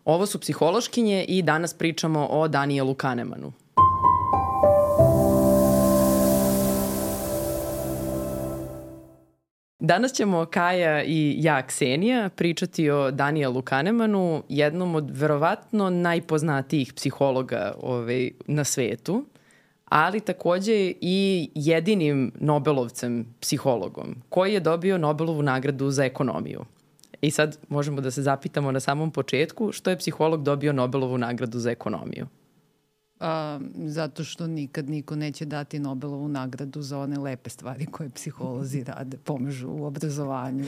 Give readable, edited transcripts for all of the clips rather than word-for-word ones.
Ovo su Psihološkinje i danas pričamo o Danielu Kahnemanu. Danas ćemo Kaja i ja, Ksenija, pričati o Danielu Kahnemanu, jednom od verovatno najpoznatijih psihologa na svetu, ali takođe i jedinim Nobelovcem psihologom, koji je dobio Nobelovu nagradu za ekonomiju. I sad možemo da se zapitamo na samom početku što je psiholog dobio Nobelovu nagradu za ekonomiju. Zato što nikad niko neće dati Nobelovu nagradu za one lepe stvari koje psiholozi rade, pomažu u obrazovanju,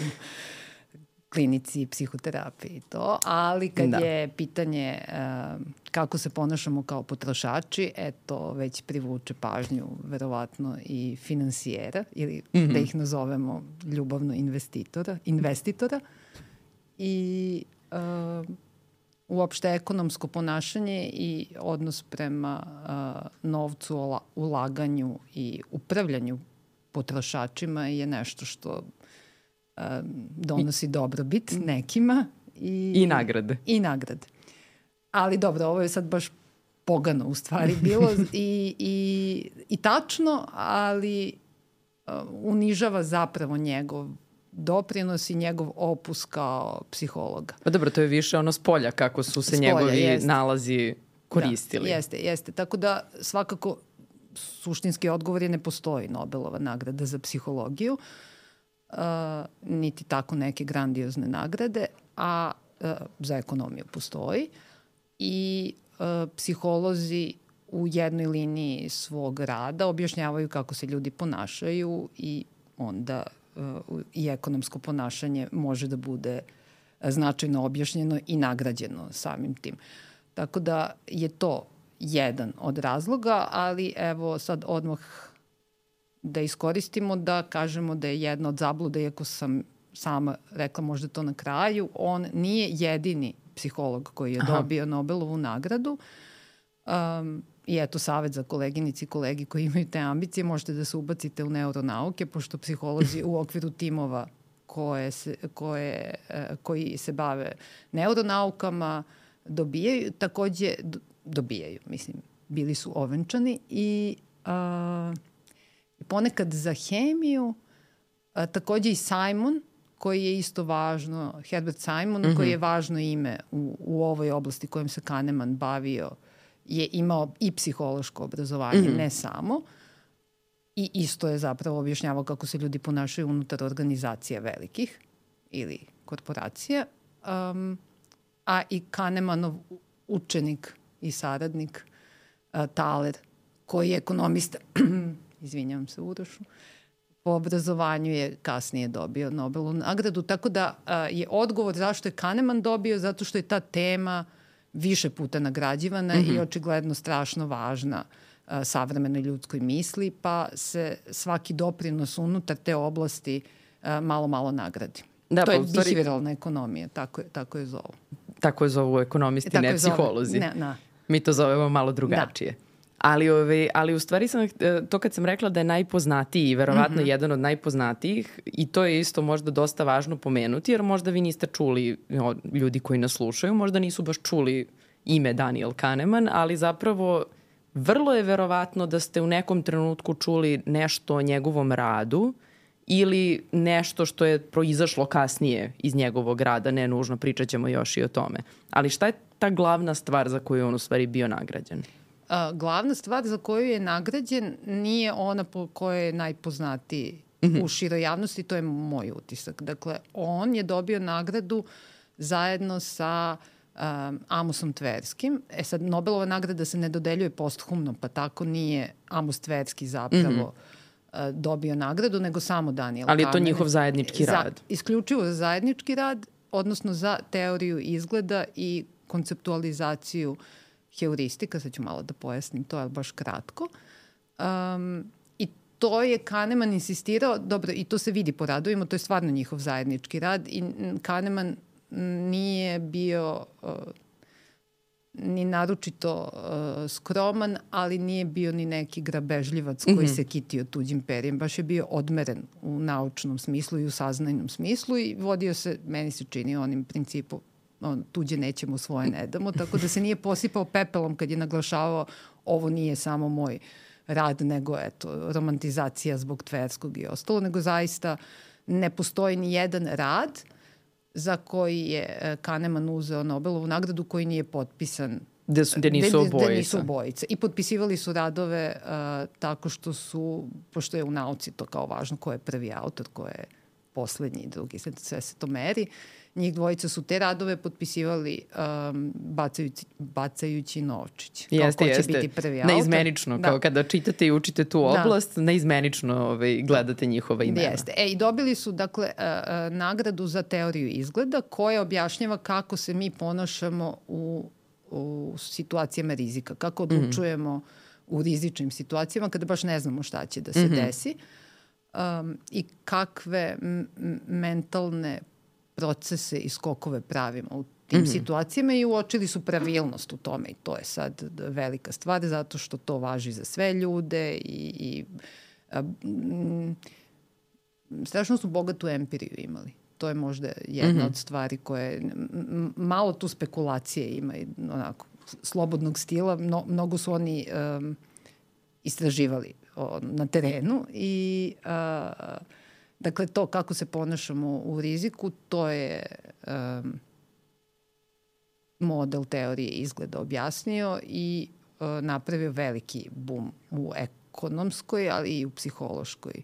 klinici, psihoterapiji i to. Ali kad je pitanje kako se ponašamo kao potrošači, to već privuče pažnju verovatno i finansijera ili da ih nazovemo ljubavno investitora. I uopšte ekonomsko ponašanje i odnos prema novcu, ulaganju i upravljanju potrošačima je nešto što donosi dobrobit nekima. I nagrade. I nagrade. Ali dobro, ovo je sad baš pogano u stvari bilo i tačno, ali unižava zapravo njegov doprinos i njegov opus kao psihologa. Pa dobro, to je više ono s polja kako su se njegovi nalazi koristili. Da, jeste. Tako da svakako suštinski odgovor je ne postoji Nobelova nagrada za psihologiju, niti tako neke grandiozne nagrade, a za ekonomiju postoji. I psiholozi u jednoj liniji svog rada objašnjavaju kako se ljudi ponašaju i onda i ekonomsko ponašanje može da bude značajno objašnjeno i nagrađeno samim tim. Tako da je to jedan od razloga, ali evo sad odmah da iskoristimo da kažemo da je jedna od zabluda, iako sam sama rekla možda to na kraju, on nije jedini psiholog koji je dobio Nobelovu nagradu. I eto savjet za koleginici i kolegi koji imaju te ambicije, možete da se ubacite u neuronauke, pošto psiholozi u okviru timova koji se bave neuronaukama dobijaju, mislim, bili su ovenčani i ponekad za hemiju, takođe i Simon, koji je isto važno, Herbert Simon, koji je važno ime u ovoj oblasti kojom se Kahneman bavio, je imao i psihološko obrazovanje, ne samo. I isto je zapravo objašnjavao kako se ljudi ponašaju unutar organizacija velikih ili korporacija. A i Kahnemanov učenik i saradnik Thaler, koji je ekonomista, izvinjavam se Urošu, po obrazovanju je kasnije dobio Nobelovu nagradu. Tako da je odgovor zašto je Kahneman dobio, zato što je ta tema više puta nagrađivana i očigledno strašno važna savremenoj ljudskoj misli, pa se svaki doprinos unutar te oblasti malo nagradi. Da, to je behavioralna ekonomija, tako je zovu. Tako je zovu ekonomisti, ne psiholozi. Mi to zovemo malo drugačije. Da. Ali u stvari to kad sam rekla da je najpoznatiji i verovatno jedan od najpoznatijih, i to je isto možda dosta važno pomenuti, jer možda vi niste čuli, ljudi koji nas slušaju, možda nisu baš čuli ime Daniel Kahneman, ali zapravo vrlo je verovatno da ste u nekom trenutku čuli nešto o njegovom radu ili nešto što je proizašlo kasnije iz njegovog rada, ne nužno, pričat ćemo još i o tome. Ali šta je ta glavna stvar za koju je on u stvari bio nagrađen? Glavna stvar za koju je nagrađen nije ona po kojoj je najpoznatiji u široj javnosti, to je moj utisak. Dakle, on je dobio nagradu zajedno sa Amosom Tverskim. Sad, Nobelova nagrada se ne dodeljuje posthumno, pa tako nije Amos Tverski zapravo dobio nagradu, nego samo Daniel Kahneman. Ali je to njihov zajednički rad? Isključivo za zajednički rad, odnosno za teoriju izgleda i konceptualizaciju heuristika, sad ću malo da pojasnim to, ali baš kratko. I to je Kahneman insistirao, dobro, i to se vidi po radovima, to je stvarno njihov zajednički rad i Kahneman nije bio ni naročito skroman, ali nije bio ni neki grabežljivac koji se kitio tuđim perijem. Baš je bio odmeren u naučnom smislu i u saznajnom smislu i vodio se, meni se čini, onim principom tuđe nećemo, svoje ne damo, tako da se nije posipao pepelom kad je naglašavao ovo nije samo moj rad, nego romantizacija zbog Tverskog i ostalo, nego zaista ne postoji ni jedan rad za koji je Kahneman uzeo Nobelovu nagradu koji nije potpisan gde nisu obojice. I potpisivali su radove tako što su, pošto je u nauci to kao važno, ko je prvi autor, ko je poslednji, drugi, sve se to meri. Njih dvojica su te radove potpisivali bacajući novčić. Jeste. Ko će biti prvi autor. Neizmenično, kao kada čitate i učite tu oblast, neizmenično gledate njihova imena. Jeste. I dobili su, dakle, nagradu za teoriju izgleda koja objašnjava kako se mi ponašamo u situacijama rizika, kako odlučujemo u rizičnim situacijama kada baš ne znamo šta će da se desi i kakve mentalne procese i skokove pravimo u tim situacijama i uočili su pravilnost u tome i to je sad velika stvar zato što to važi za sve ljude i strašno su bogatu empiriju imali. To je možda jedna od stvari koje malo tu spekulacije ima i onako slobodnog stila. Mnogo su oni istraživali na terenu i dakle to kako se ponašamo u riziku, to je model teorije izgleda objasnio i napravio veliki bum u ekonomskoj, ali i u psihološkoj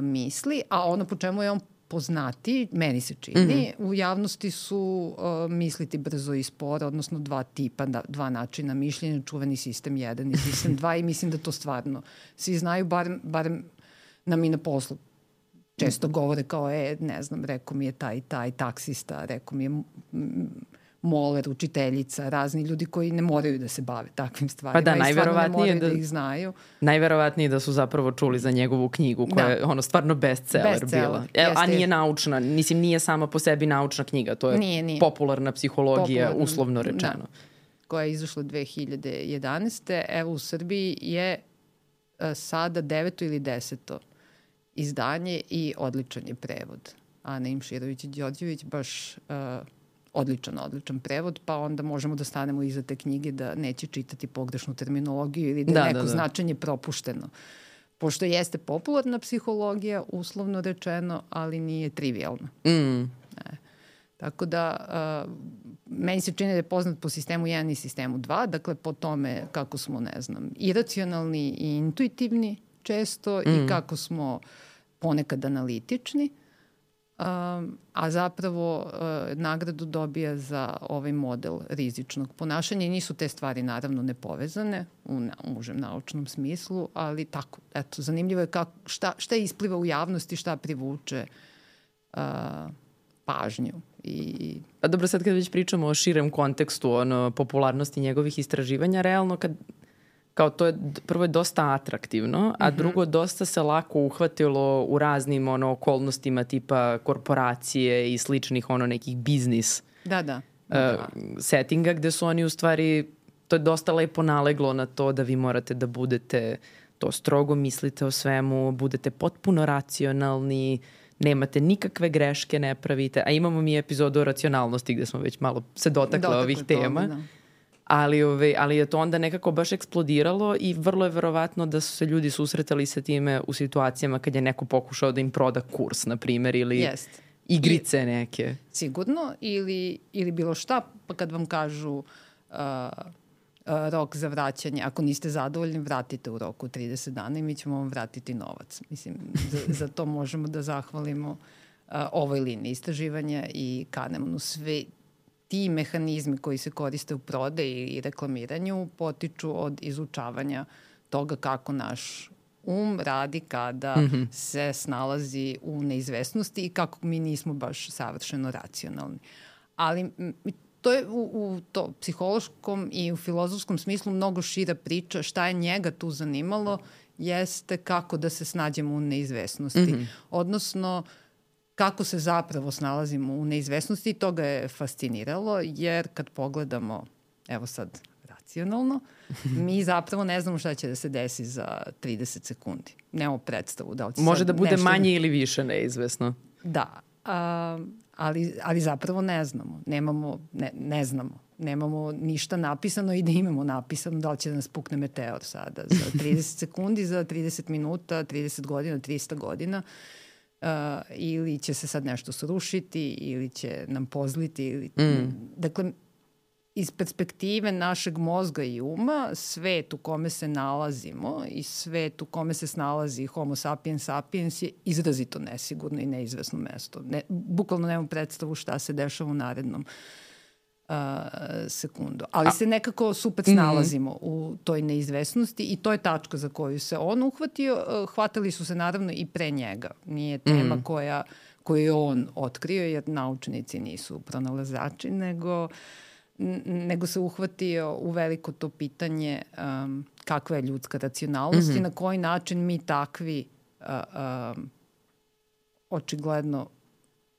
misli. A ono po čemu je on poznati, meni se čini, u javnosti su misliti brzo i sporo, odnosno dva tipa, dva načina mišljenja, čuveni sistem 1 i sistem 2 i mislim da to stvarno svi znaju, barem nam i na poslu često govore kao, ne znam, rekao mi je taj taksista, rekao mi je moler, učiteljica, razni ljudi koji ne moraju da se bave takvim stvarima. Pa da, najverovatnije da ih znaju. Najverovatnije da su zapravo čuli za njegovu knjigu koja je stvarno bestseller bila. A nije naučna, nije sama po sebi naučna knjiga, to je nije. Popularna psihologija, uslovno rečeno. Koja je izašla 2011. Evo u Srbiji je sada 9. ili 10. izdanje i odličan je prevod. Ana Imširović-Đorđević baš odličan prevod, pa onda možemo da stanemo iza te knjige da neće čitati pogrešnu terminologiju ili da je neko značenje propušteno. Pošto jeste popularna psihologija, uslovno rečeno, ali nije trivialna. Tako da meni se čini da je poznat po sistemu 1 i sistemu 2, dakle po tome kako smo, ne znam, iracionalni i intuitivni često i kako smo ponekad analitični. A zapravo nagradu dobija za ovaj model rizičnog ponašanja i nisu te stvari naravno nepovezane u užem naučnom smislu, ali tako, eto, zanimljivo je šta ispliva u javnosti, šta privuče pažnju. A dobro, sad kad već pričamo o širem kontekstu popularnosti njegovih istraživanja, realno kao to je, prvo je dosta atraktivno, a drugo dosta se lako uhvatilo u raznim okolnostima tipa korporacije i sličnih nekih biznis settinga gde su oni u stvari, to je dosta lepo naleglo na to da vi morate da budete, to strogo mislite o svemu, budete potpuno racionalni, nemate nikakve greške, ne pravite, a imamo mi epizodu o racionalnosti gde smo već malo se dotakle ovih tema. Ali je to onda nekako baš eksplodiralo i vrlo je verovatno da su se ljudi susretali sa time u situacijama kad je neko pokušao da im proda kurs, na primjer, ili igrice neke. Sigurno, ili bilo šta, pa kad vam kažu rok za vraćanje, ako niste zadovoljni, vratite u roku 30 dana i mi ćemo vam vratiti novac. Mislim, za to možemo da zahvalimo ovoj liniji istraživanja i Kahnemanu. Sve ti mehanizmi koji se koriste u prodaji i reklamiranju potiču od izučavanja toga kako naš radi kada se snalazi u neizvesnosti i kako mi nismo baš savršeno racionalni. Ali to je u psihološkom i u filozofskom smislu mnogo šira priča. Šta je njega tu zanimalo jeste kako da se snađemo u neizvesnosti. Odnosno, kako se zapravo snalazimo u neizvesnosti, to ga je fasciniralo, jer kad pogledamo, evo sad racionalno, mi zapravo ne znamo šta će da se desi za 30 sekundi. Nemamo predstavu. Može da bude manje ili više neizvesno. Da, ali zapravo ne znamo. Ne znamo. Nemamo ništa napisano i da imamo napisano da li će da nas pukne meteor sada za 30 sekundi, za 30 minuta, 30 godina, 300 godina. Ili će se sad nešto srušiti ili će nam pozliti. Dakle, iz perspektive našeg mozga i uma, svet u kome se nalazimo i svet u kome se snalazi Homo sapiens sapiens je izrazito nesigurno i neizvesno mesto. Bukvalno nemam predstavu šta se dešava u narednom sekundu. Ali se nekako super snalazimo u toj neizvesnosti i to je tačka za koju se on uhvatio. Hvatali su se naravno i pre njega. Nije tema koju je on otkrio, jer naučnici nisu pronalazači, nego se uhvatio u veliko to pitanje kakva je ljudska racionalnost i na koji način mi takvi očigledno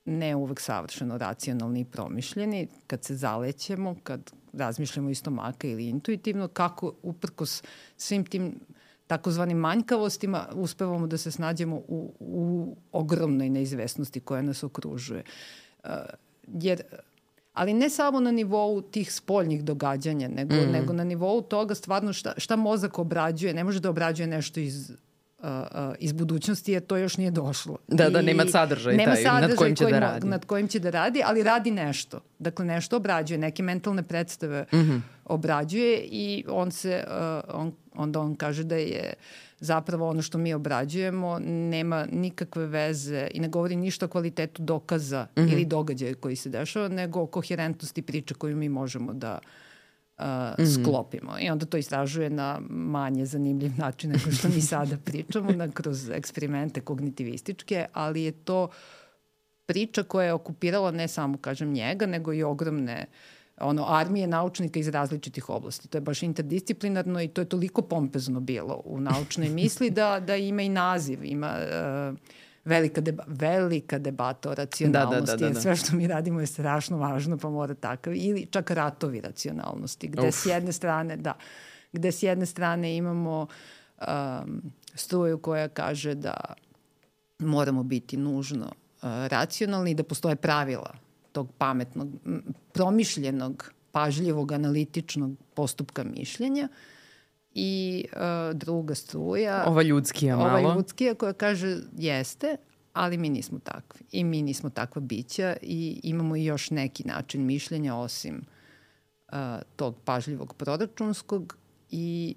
ne uvek savršeno racionalni i promišljeni, kad se zalećemo, kad razmišljamo iz stomaka ili intuitivno, kako uprkos svim tim takozvanim manjkavostima uspevamo da se snađemo u ogromnoj neizvesnosti koja nas okružuje. Ali ne samo na nivou tih spoljnih događanja, nego na nivou toga stvarno šta mozak obrađuje. Ne može da obrađuje nešto iz budućnosti, jer to još nije došlo. Da, nema sadržaj nad kojim će da radi. Nad kojim će da radi, ali radi nešto. Dakle, nešto obrađuje, neke mentalne predstave obrađuje i onda on kaže da je zapravo ono što mi obrađujemo nema nikakve veze i ne govori ništa o kvalitetu dokaza ili događaja koji se dešava, nego o koherentnosti priče koju mi možemo da sklopimo. I onda to istražuje na manje zanimljiv način nego što mi sada pričamo, kroz eksperimente kognitivističke, ali je to priča koja je okupirala ne samo, kažem, njega, nego i ogromne armije naučnika iz različitih oblasti. To je baš interdisciplinarno i to je toliko pompezno bilo u naučnoj misli da ima i naziv, ima velika debata o racionalnosti. Da. Sve što mi radimo je strašno važno, pa mora takav. Ili čak ratovi racionalnosti, gde s jedne strane imamo struju koja kaže da moramo biti nužno racionalni i da postoje pravila tog pametnog, promišljenog, pažljivog, analitičnog postupka mišljenja i druga struja. Ova ljudskija malo. Ova ljudskija koja kaže jeste, ali mi nismo takvi. I mi nismo takva bića i imamo i još neki način mišljenja osim tog pažljivog proračunskog i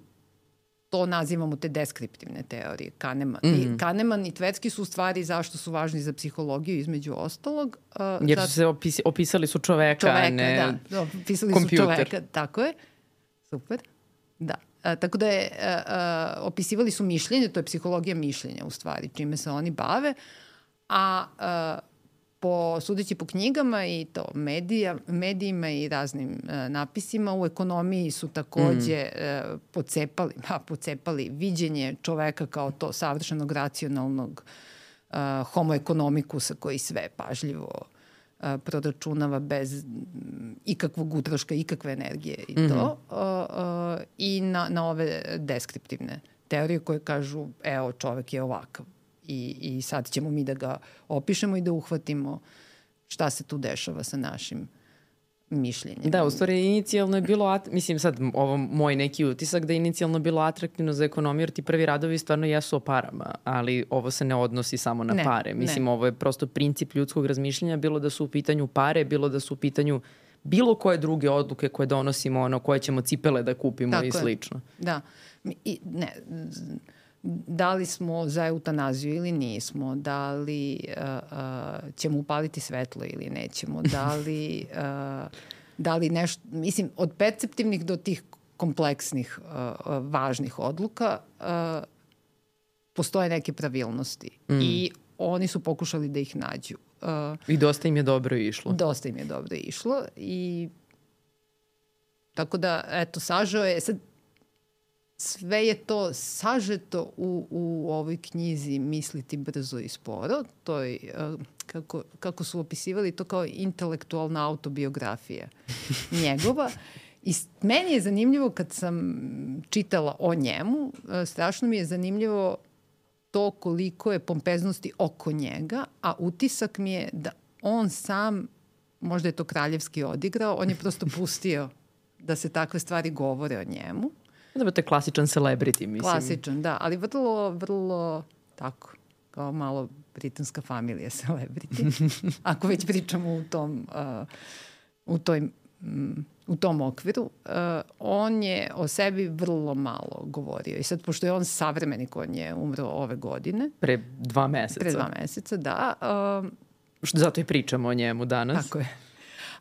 to nazivamo te deskriptivne teorije. Kahneman i Tversky su u stvari zašto su važni za psihologiju između ostalog. Jer su se opisali su čoveka, ne opisali kompjuter. Su čoveka, tako je. Super, da. Tako da opisivali su mišljenje, to je psihologija mišljenja u stvari, čime se oni bave, a sudeći po knjigama i to medijima i raznim napisima, u ekonomiji su takođe pocepali viđenje čoveka kao to savršenog racionalnog homo economikusa koji sve pažljivo proračunava bez ikakvog utroška, ikakve energije i to. I na ove deskriptivne teorije koje kažu evo čovek je ovakav. I sad ćemo mi da ga opišemo i da uhvatimo šta se tu dešava sa našim mišljenjem. Da, u stvari inicijalno je bilo, mislim sad ovo moj neki utisak da je inicijalno bilo atraktivno za ekonomiju jer ti prvi radovi stvarno jesu o parama, ali ovo se ne odnosi samo na pare. Mislim ovo je prosto princip ljudskog razmišljanja, bilo da su u pitanju pare, bilo da su u pitanju bilo koje druge odluke koje donosimo, koje ćemo cipele da kupimo tako i slično. Da. Da li smo za eutanaziju ili nismo, da li ćemo upaliti svetlo ili nećemo, da li nešto, mislim, od perceptivnih do tih kompleksnih, važnih odluka postoje neke pravilnosti i oni su pokušali da ih nađu. I dosta im je dobro išlo. Dosta im je dobro išlo i tako da, eto, sažao je, sad sve je to sažeto u ovoj knjizi Misliti brzo i sporo. To je, kako su opisivali to kao intelektualna autobiografija njegova. I meni je zanimljivo kad sam čitala o njemu, strašno mi je zanimljivo to koliko je pompeznosti oko njega, a utisak mi je da on sam, možda je to kraljevski odigrao, on je prosto pustio da se takve stvari govore o njemu. Da, to je klasičan celebrity, mislim. Klasičan, da, ali vrlo, vrlo tako, kao malo britanska familija celebrity. Ako već pričamo u tom okviru, on je o sebi vrlo malo govorio. I sad, pošto je on savremenik, on je umro ove godine. Pre 2 meseca. Pre 2 meseca, da. Zato i pričamo o njemu danas. Tako je.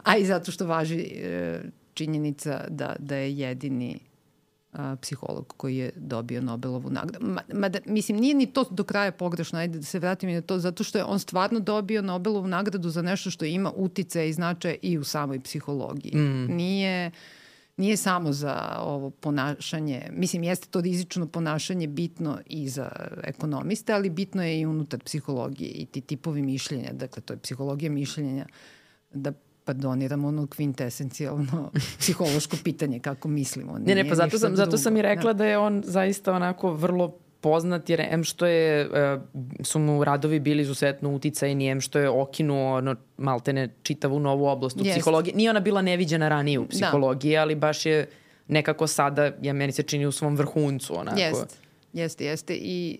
A i zato što važi činjenica da je jedini psiholog koji je dobio Nobelovu nagradu. Mislim, nije ni to do kraja pogrešno, ajde da se vratim i na to, zato što je on stvarno dobio Nobelovu nagradu za nešto što ima uticaja i značaja i u samoj psihologiji. Nije samo za ovo ponašanje, mislim, jeste to rizično ponašanje bitno i za ekonomiste, ali bitno je i unutar psihologije i ti tipovi mišljenja, dakle, to je psihologija mišljenja, da pardoniram ono kvintesencijalno psihološko pitanje kako mislimo. Ne, pa zato sam i rekla da je on zaista onako vrlo poznat, jer što su mu radovi bili izuzetno uticajni, što je okinuo maltene čitavu novu oblast u psihologiji. Nije ona bila neviđena ranije u psihologiji, ali baš je nekako sada, meni se čini, u svom vrhuncu. Onako. Jeste. I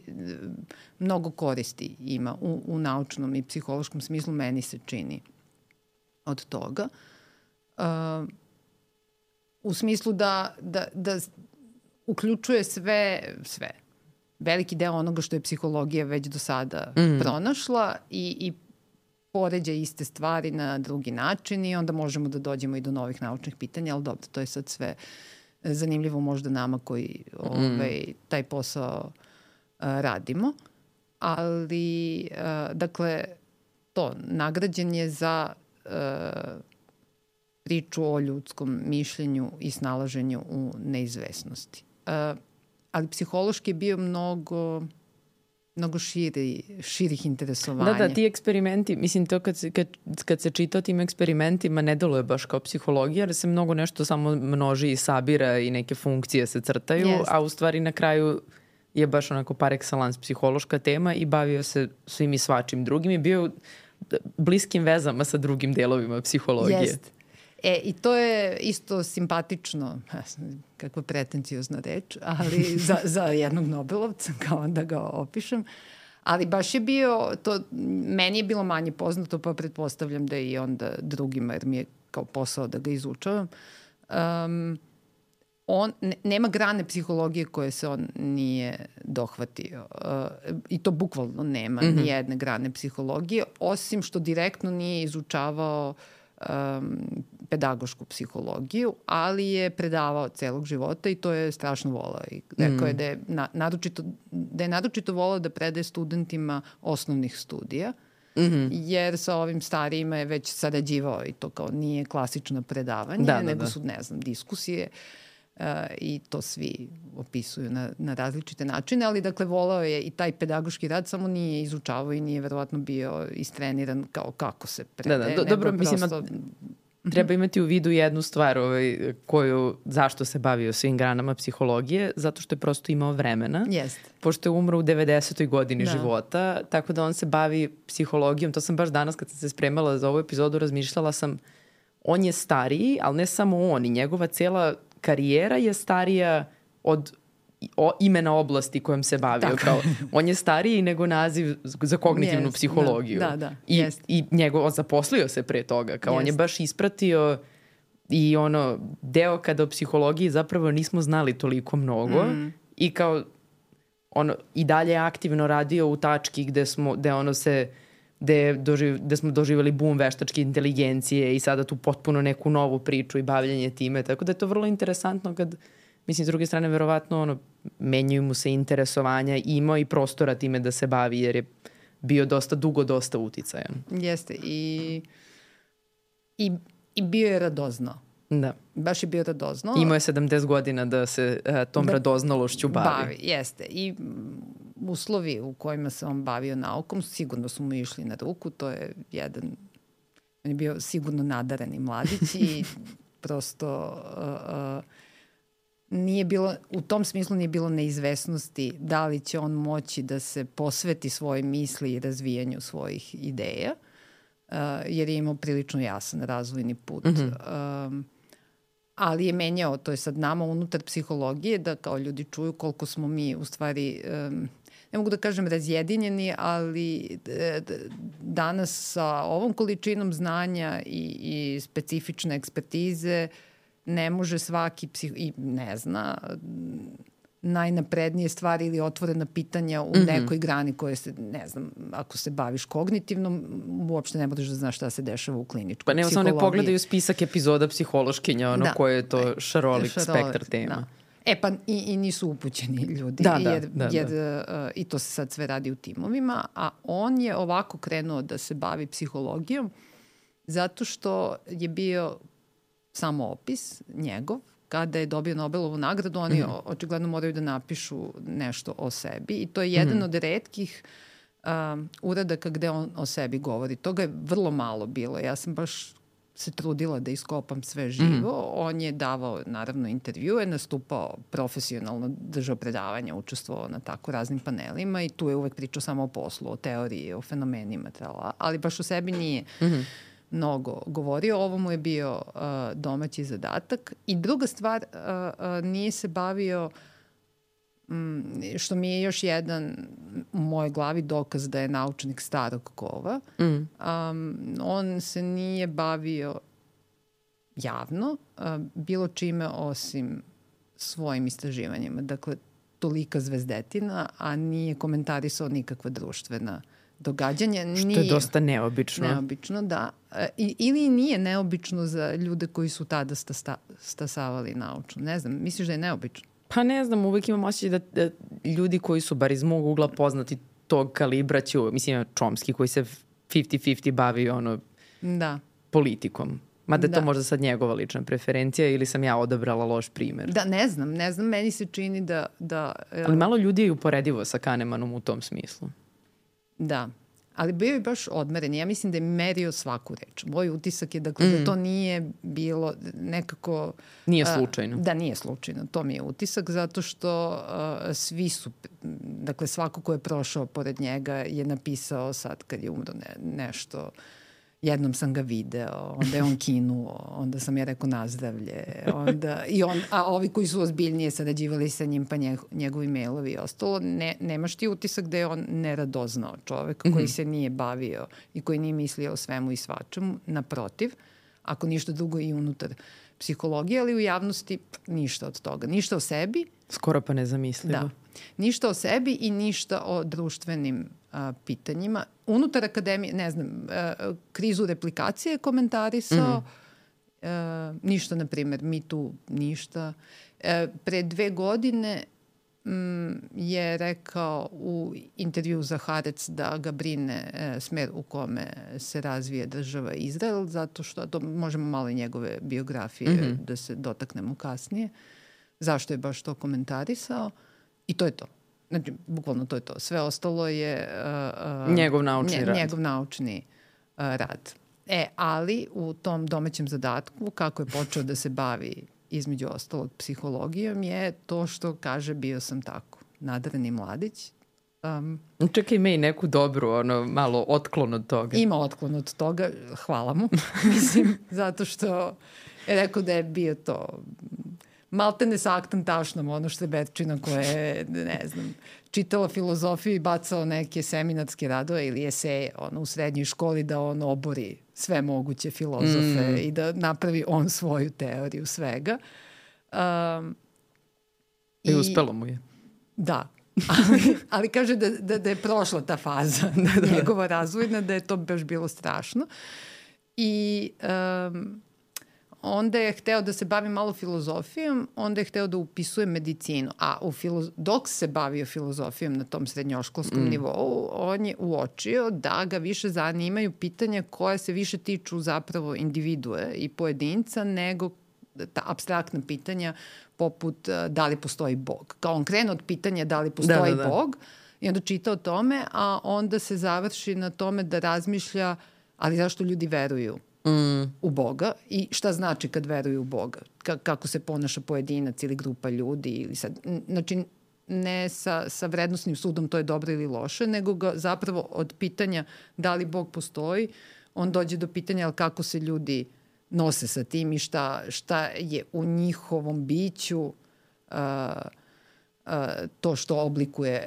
mnogo koristi ima u naučnom i psihološkom smislu, meni se čini od toga. U smislu da uključuje sve. Veliki deo onoga što je psihologija već do sada pronašla i poređa iste stvari na drugi način i onda možemo da dođemo i do novih naučnih pitanja, ali dobro, to je sad sve zanimljivo možda nama koji taj posao radimo. Ali, dakle, nagrađen je za priču o ljudskom mišljenju i snalaženju u neizvesnosti. Ali psihološki je bio mnogo širih interesovanja. Da, ti eksperimenti, mislim, to kad se čita o tim eksperimentima ne deluje baš kao psihologija, jer se mnogo nešto samo množi i sabira i neke funkcije se crtaju, a u stvari na kraju je baš onako par excellence psihološka tema i bavio se svim i svačim drugim i bio bliskim vezama sa drugim delovima psihologije. Jeste. I to je isto simpatično, kakva pretencijozna reč, ali za jednog Nobelovca, kao da ga opišem. Ali baš je bio, meni je bilo manje poznato, pa pretpostavljam da i onda drugima, jer mi je kao posao da ga izučavam. Nema grane psihologije koje se on nije dohvatio. I to bukvalno nema ni jedne grane psihologije, osim što direktno nije izučavao pedagošku psihologiju, ali je predavao celog života i to je strašno volao. I rekao je da je naročito volao da predaje studentima osnovnih studija, jer sa ovim starijima je već sarađivao i to kao nije klasično predavanje, nego su, ne znam, diskusije i to svi opisuju na različite načine, ali dakle volao je i taj pedagoški rad, samo nije izučavao i nije verovatno bio istreniran kao kako se predaje. Dobro, mislim, treba imati u vidu jednu stvar zašto se bavio svim granama psihologije, zato što je prosto imao vremena. Pošto je umro u 90. godini života, tako da on se bavi psihologijom. To sam baš danas kad sam se spremala za ovu epizodu razmišljala sam, on je stariji, ali ne samo on, i njegova cela karijera je starija od imena oblasti kojom se bavio. Kao, on je stariji nego naziv za kognitivnu psihologiju. I on zaposlio se pre toga. Kao on je baš ispratio i deo kada o psihologiji zapravo nismo znali toliko mnogo i kao i dalje aktivno radio u tački gde smo doživjeli boom veštačke inteligencije i sada tu potpuno neku novu priču i bavljanje time. Tako da je to vrlo interesantno kad, mislim, s druge strane, verovatno menjaju mu se interesovanja i imao i prostora time da se bavi jer je bio dosta uticajan. Jeste. I bio je radoznao. Da. Baš je bio radoznao. Imao je 70 godina da se tom radoznalošću bavi. Jeste. I uslovi u kojima se on bavio naukom sigurno su mu išli na ruku. To je on je bio sigurno nadareni mladić i prosto u tom smislu nije bilo neizvesnosti da li će on moći da se posveti svojoj misli i razvijanju svojih ideja. jer je imao prilično jasan razvojni put. Ali je menjao, to je sad nama unutar psihologije, da kao ljudi čuju koliko smo mi u stvari, ne mogu da kažem razjedinjeni, ali danas sa ovom količinom znanja i specifične ekspertize ne može svaki i ne zna najnaprednije stvari ili otvorena pitanja u nekoj grani koje se, ne znam, ako se baviš kognitivnom, uopšte ne možeš da znaš šta se dešava u kliničkoj psihologiji. Pa nema samo ne pogledaju spisak epizoda psihološkinja, koje je to šarolik spektar tema. Da. Pa i nisu upućeni ljudi, jer i to se sad sve radi u timovima, a on je ovako krenuo da se bavi psihologijom zato što je bio samo opis njegov. Kada je dobio Nobelovu nagradu, oni očigledno moraju da napišu nešto o sebi i to je jedan od retkih uradaka gde on o sebi govori. Toga je vrlo malo bilo. Ja sam baš se trudila da iskopam sve živo. On je davao, naravno, intervjue, nastupao profesionalno, držao predavanja, učestvovao na tako raznim panelima i tu je uvek pričao samo o poslu, o teoriji, o fenomenima, ali baš o sebi nije mnogo govorio. Ovo mu je bio domaći zadatak. I druga stvar, nije se bavio, što mi je još jedan u mojoj glavi dokaz da je naučnik starog kova, on se nije bavio javno bilo čime osim svojim istraživanjima. Dakle, tolika zvezdetina, a nije komentarisao nikakva društvena događanja. Što je dosta neobično. Neobično, da. Ili nije neobično za ljude koji su tada stasavali naučno. Ne znam, misliš da je neobično? Pa ne znam, uvijek imam osjećaj da ljudi koji su, bar iz mog ugla, poznati tog kalibra će, mislim, Chomsky koji se 50-50 bavi politikom. Mada je to možda sad njegova lična preferencija ili sam ja odabrala loš primer. Da, ne znam, meni se čini da... Ali malo ljudi je uporedivo sa Kahnemanom u tom smislu. Da, ali bio je baš odmeren. Ja mislim da je merio svaku reč. Moj utisak je da to nije bilo nekako... Nije slučajno. Da, nije slučajno. To mi je utisak zato što svi su, dakle svako ko je prošao pored njega je napisao sad kad je umro nešto. Jednom sam ga video, onda je on kinuo, onda sam ja rekao nazdravlje. A ovi koji su ozbiljnije sarađivali sa njim, pa njegovi mailovi i ostalo, nemaš ti utisak da je on neradoznao čovek koji se nije bavio i koji nije mislio o svemu i svačemu. Naprotiv, ako ništa drugo i unutar psihologije, ali u javnosti ništa od toga. Ništa o sebi. Skoro pa nezamislivo. Da. Ništa o sebi i ništa o društvenim pitanjima. Unutar akademije, ne znam, krizu replikacije komentarisao, ništa, na primjer, mi tu ništa. Pre 2 godine je rekao u intervju za Haaretz da ga brine smer u kome se razvije država Izrael, zato što, to možemo malo i njegove biografije da se dotaknemo kasnije, zašto je baš to komentarisao i to je to. Znači, bukvalno to je to. Sve ostalo je... njegov naučni rad. Njegov naučni rad. Ali u tom domaćem zadatku, kako je počeo da se bavi između ostalog psihologijom, je to što kaže bio sam tako. Nadareni mladić. Čekaj, ima i neku dobru, malo otklon od toga. Ima otklon od toga, hvala mu. Mislim, zato što je rekao da je bio to... maltene sa aktom tašnom, ono Štreberčina koja je, ne znam, čitala filozofiju i bacao neke seminarske radove ili eseje u srednjoj školi da on obori sve moguće filozofe i da napravi on svoju teoriju svega. I uspelo mu je. Da. Ali kaže da je prošla ta faza njegova razvojna, da je to baš bilo strašno. I... onda je hteo da se bavi malo filozofijom, onda je hteo da upisuje medicinu. A dok se bavio filozofijom na tom srednjoškolskom nivou, on je uočio da ga više zanimaju pitanja koja se više tiču zapravo individue i pojedinca nego ta apstraktna pitanja poput da li postoji Bog. Kao on krene od pitanja da li postoji Bog i onda čita o tome, a onda se završi na tome da razmišlja ali zašto ljudi veruju u Boga i šta znači kad veruju u Boga, kako se ponaša pojedinac ili grupa ljudi ili sad, znači ne sa vrednostnim sudom to je dobro ili loše, nego ga zapravo od pitanja da li Bog postoji on dođe do pitanja kako se ljudi nose sa tim i šta je u njihovom biću to što oblikuje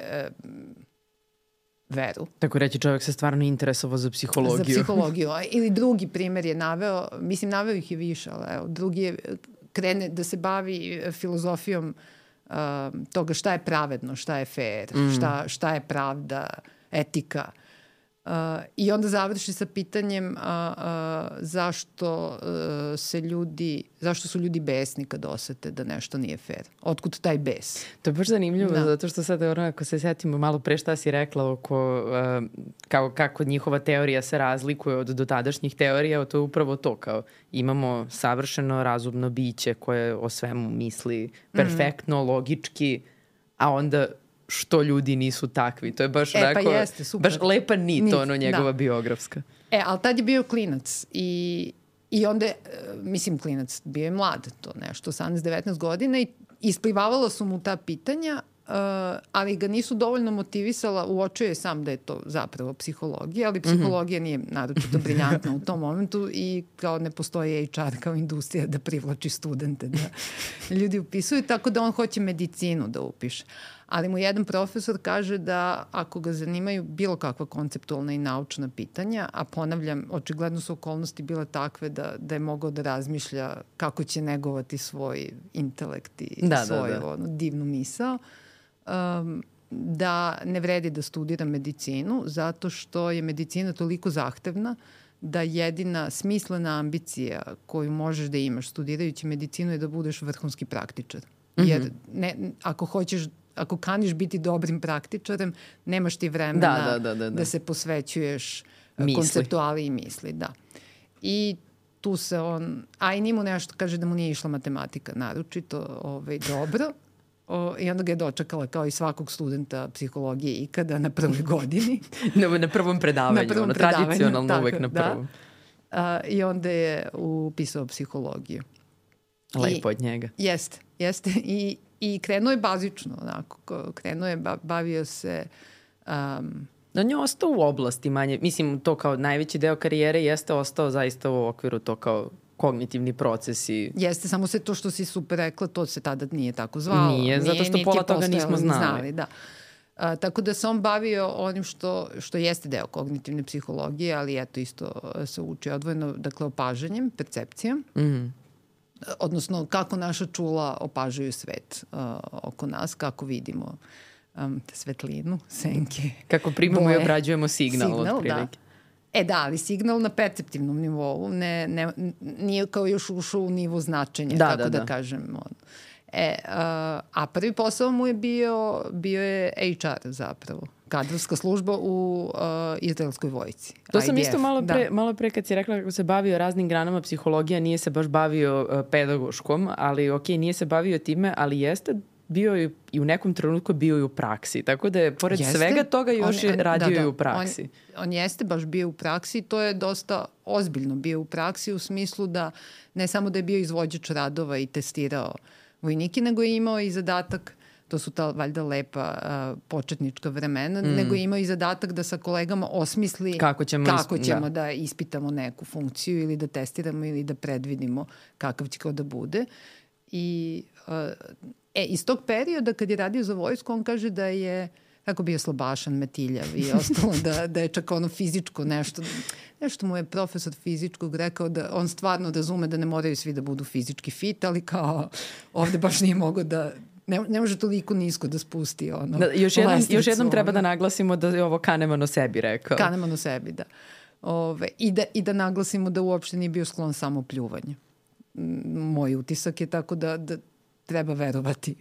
veru. Tako reći, čovjek se stvarno interesovao za psihologiju. Za psihologiju. Ili drugi primer je naveo, mislim naveo ih je više, ali evo, drugi je krene da se bavi filozofijom toga šta je pravedno, šta je fair, šta je pravda, etika. I onda završi sa pitanjem zašto su ljudi besni kad osete da nešto nije fair. Otkud taj bes? To je baš zanimljivo, zato što sad ako se setimo malo pre šta si rekla oko kako njihova teorija se razlikuje od dotadašnjih teorija, to je upravo to, kao imamo savršeno razumno biće koje o svemu misli perfektno, logički, a onda što ljudi nisu takvi. To je baš onako, pa jeste, super. Baš lepa nit, njegova biografska. Ali tad je bio klinac i onda, mislim klinac, bio je mlad, to nešto, 18-19 godina i isplivavalo su mu ta pitanja, ali ga nisu dovoljno motivisala, uočio je sam da je to zapravo psihologija, ali psihologija nije naročito briljantna u tom momentu i kao ne postoji HR kao industrija da privlači studente, da ljudi upisuju, tako da on hoće medicinu da upiše. Ali mu jedan profesor kaže da ako ga zanimaju bilo kakva konceptualna i naučna pitanja, a ponavljam, očigledno su okolnosti bile takve da je mogao da razmišlja kako će negovati svoj intelekt i svoju divnu misao, da ne vredi da studira medicinu zato što je medicina toliko zahtevna da jedina smislena ambicija koju možeš da imaš studirajući medicinu je da budeš vrhunski praktičar. Jer ako kaniš biti dobrim praktičarem, nemaš ti vremena da se posvećuješ konceptuali i misli. Da. I tu se on, a i njemu nešto kaže da mu nije išla matematika naročito dobro. I onda ga je dočekala kao i svakog studenta psihologije ikada na prvoj godini. na prvom predavanju, tradicionalno uvek na prvom. I onda je upisao psihologiju. Lepo od njega. Jeste. I krenuo je bazično, onako. Krenuo je, bavio se... On je ostao u oblasti manje. Mislim, to kao najveći deo karijere jeste ostao zaista u okviru to kao kognitivni procesi. Jeste, samo se to što si super rekla, to se tada nije tako zvalo. Nije, zato što pola toga nismo znali. Da. Tako da se on bavio onim što jeste deo kognitivne psihologije, ali eto isto se uči odvojeno, dakle opažanjem, percepcijom. Odnosno kako naša čula opažaju svet oko nas, kako vidimo svetlinu, senke, kako primamo i obrađujemo signal otprilike. Ali signal na perceptivnom nivou nije kao još ušao u nivo značenja, tako da kažem. A prvi posao mu je bio je HR zapravo. Kadrovska služba u izraelskoj vojsci. To sam isto malo pre kad si rekla kako se bavio raznim granama psihologija, nije se baš bavio pedagoškom, ali nije se bavio time, ali jeste bio i u nekom trenutku bio i u praksi. Tako da je pored svega toga još radio i u praksi. On jeste baš bio u praksi, to je dosta ozbiljno bio u praksi u smislu da ne samo da je bio izvođač radova i testirao vojnike, nego je imao i zadatak, to su ta valjda lepa početnička vremena, nego je imao i zadatak da sa kolegama osmisli kako ćemo da ispitamo neku funkciju ili da testiramo ili da predvidimo kakav će kao da bude. I iz tog perioda kad je radio za vojsku, on kaže da je tako bio slabašan, metiljav i ostalo da je čak ono fizičko nešto mu je profesor fizičkog rekao da on stvarno razume da ne moraju svi da budu fizički fit, ali kao ovde baš nije mogao da ne može toliko nisko da spusti ono. Još jednom treba da naglasimo da je ovo Kahneman o sebi rekao. Kahneman o sebi, da. I da naglasimo da uopšte nije bio sklon samo pljuvanju. Moj utisak je tako da treba verovati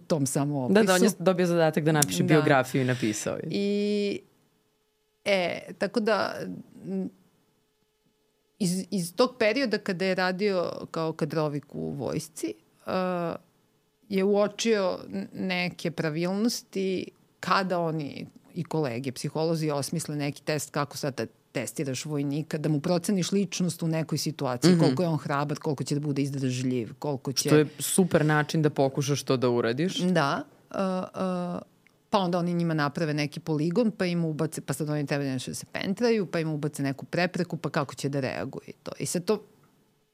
tom samo opisu. Da, on je dobio zadatak da napiše biografiju i napisao je. Tako da iz tog perioda kada je radio kao kadrovik u vojsci je uočio neke pravilnosti kada oni i kolege, psiholozi osmisle neki test kako sad testiraš vojnika, da mu proceniš ličnost u nekoj situaciji, koliko je on hrabar, koliko će da bude izdržljiv, koliko će... Što je super način da pokušaš to da uradiš. Da. pa onda oni njima naprave neki poligon, pa im ubace, pa sad oni treba nešto da se pentraju, pa im ubace neku prepreku, pa kako će da reaguje to. I sad to,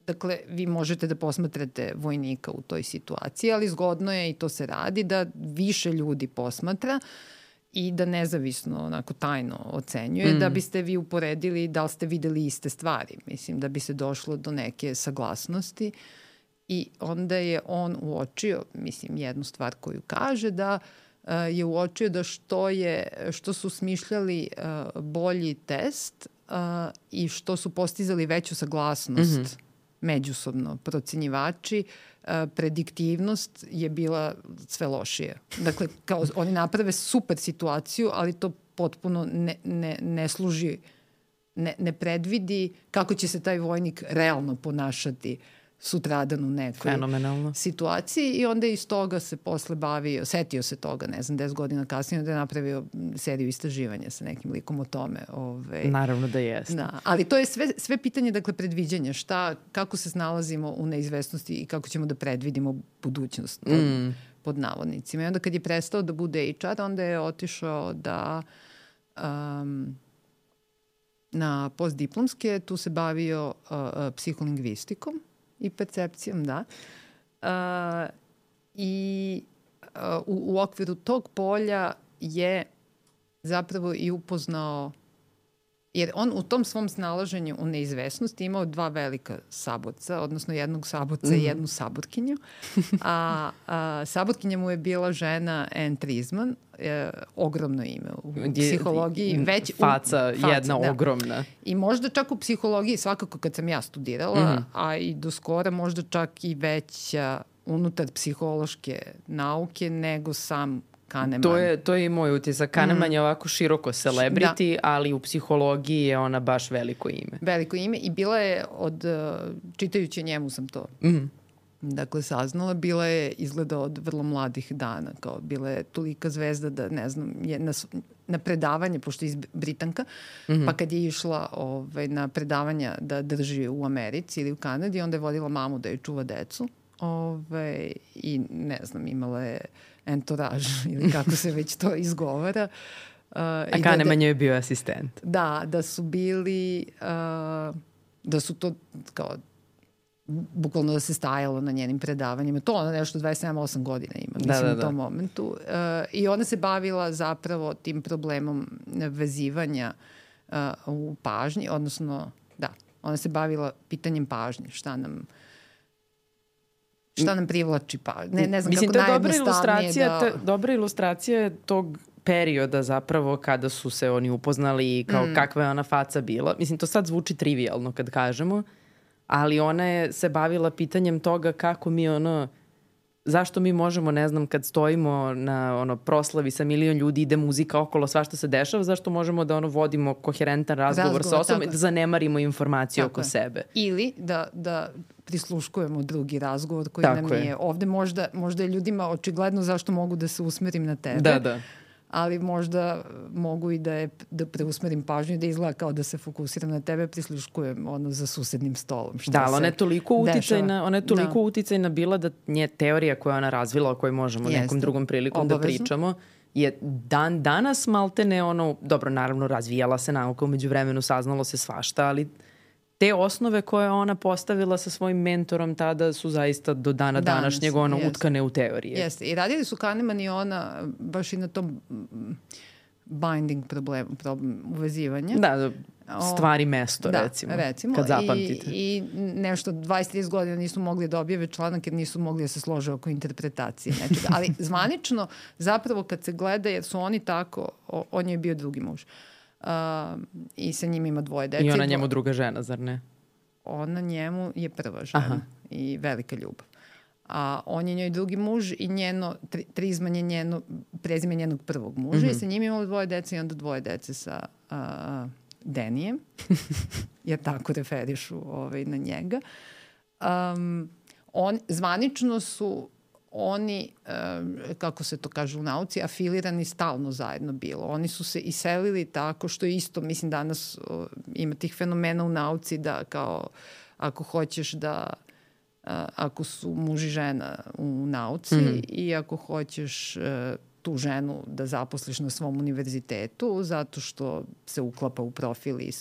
dakle, vi možete da posmatrate vojnika u toj situaciji, ali zgodno je, i to se radi, da više ljudi posmatra i da nezavisno, onako tajno ocenjuje, da biste vi uporedili da li ste videli iste stvari. Mislim, da bi se došlo do neke saglasnosti. I onda je on uočio, mislim, jednu stvar koju kaže, da je uočio da što su smišljali bolji test i što su postizali veću saglasnost međusobno procenjivači, prediktivnost je bila sve lošije. Dakle, kao oni naprave super situaciju, ali to potpuno ne služi, ne predvidi kako će se taj vojnik realno ponašati sutradan u nekoj situaciji, i onda iz toga se posle bavio, setio se toga, ne znam, 10 godina kasnije, da je napravio seriju istraživanja sa nekim likom o tome. Naravno da jeste. Da, ali to je sve pitanje, dakle, predviđanja, kako se snalazimo u neizvesnosti i kako ćemo da predvidimo budućnost pod navodnicima. I onda kad je prestao da bude HR, onda je otišao da na postdiplomske, tu se bavio psiholingvistikom i percepcijom, da. I u okviru tog polja je zapravo i upoznao, jer on u tom svom snalaženju u neizvesnosti imao 2 velika saborca, odnosno jednog saborca i jednu saborkinju. A saborkinja mu je bila žena Anne Trisman, ogromno ime u psihologiji. Faca jedna ogromna. I možda čak u psihologiji, svakako kad sam ja studirala, a i do skora možda čak i veća unutar psihološke nauke nego sam Kahneman. To je i moj utisak. Kahneman je ovako široko celebrity, ali u psihologiji je ona baš veliko ime. Veliko ime, i bila je čitajući njemu sam to dakle saznala, bila je izgleda od vrlo mladih dana, kao bila je tolika zvezda da, ne znam, je na predavanje, pošto je iz Britanka, pa kad je išla na predavanja da drži u Americi ili u Kanadi, onda je vodila mamu da joj čuva decu. I ne znam, imala je entourage ili kako se već to izgovara. A Kahneman je bio asistent. Da su bili, da su to kao bukvalno da se stajalo na njenim predavanjima. To ona nešto 27-8 godina ima, mislim, u tom momentu. I ona se bavila zapravo tim problemom vezivanja u pažnji, odnosno, ona se bavila pitanjem pažnje, šta nam privlači pažnje. Ne znam, mislim, kako najjednostavnije dobra ilustracija tog perioda zapravo kada su se oni upoznali i kao kakva je ona faca bila. Mislim, to sad zvuči trivialno kad kažemo, ali ona je se bavila pitanjem toga kako mi zašto mi možemo, ne znam, kad stojimo na proslavi sa milion ljudi, ide muzika okolo, svašta se dešava, zašto možemo da vodimo koherentan razgovor sa osobom i da zanemarimo informacije oko sebe. Ili da prisluškujemo drugi razgovor koji nam nije. Ovde možda je ljudima očigledno zašto mogu da se usmerim na tebe. Da. Ali možda mogu i da preusmerim pažnju i da izgleda kao da se fokusiram na tebe, prisluškujem za susednim stolom. Ali ona je toliko uticajna bila da nje teorija koju ona razvila, o kojoj možemo nekom drugom prilikom da pričamo, je danas maltene dobro, naravno razvijala se nauka, umeđu vremenu saznalo se svašta, ali te osnove koje ona postavila sa svojim mentorom tada su zaista do dana današnjeg utkane u teorije. Jeste. I radili su Kahneman i ona baš i na tom binding problem uvezivanja. Da, stvari mesto, recimo, kad zapamtite. I nešto 20-30 godina nisu mogli da objave članak jer nisu mogli da se slože oko interpretacije nečega. Ali zvanično, zapravo kad se gleda, jer su oni tako, on je bio drugi muž. I sa njim ima 2 dece. I ona njemu druga žena, zar ne? Ona njemu je prva žena i velika ljubav. A on je njoj drugi muž i Trisman je prezime njenog prvog muža i sa njim imala 2 dece i onda 2 dece sa Denijem, jer tako referišu na njega. Zvanično su oni, kako se to kaže u nauci, afilirani stalno zajedno bilo. Oni su se iselili tako što isto, mislim, danas ima tih fenomena u nauci da kao ako hoćeš da ako su muž i žena u nauci i ako hoćeš tu ženu da zaposliš na svom univerzitetu zato što se uklapa u profil i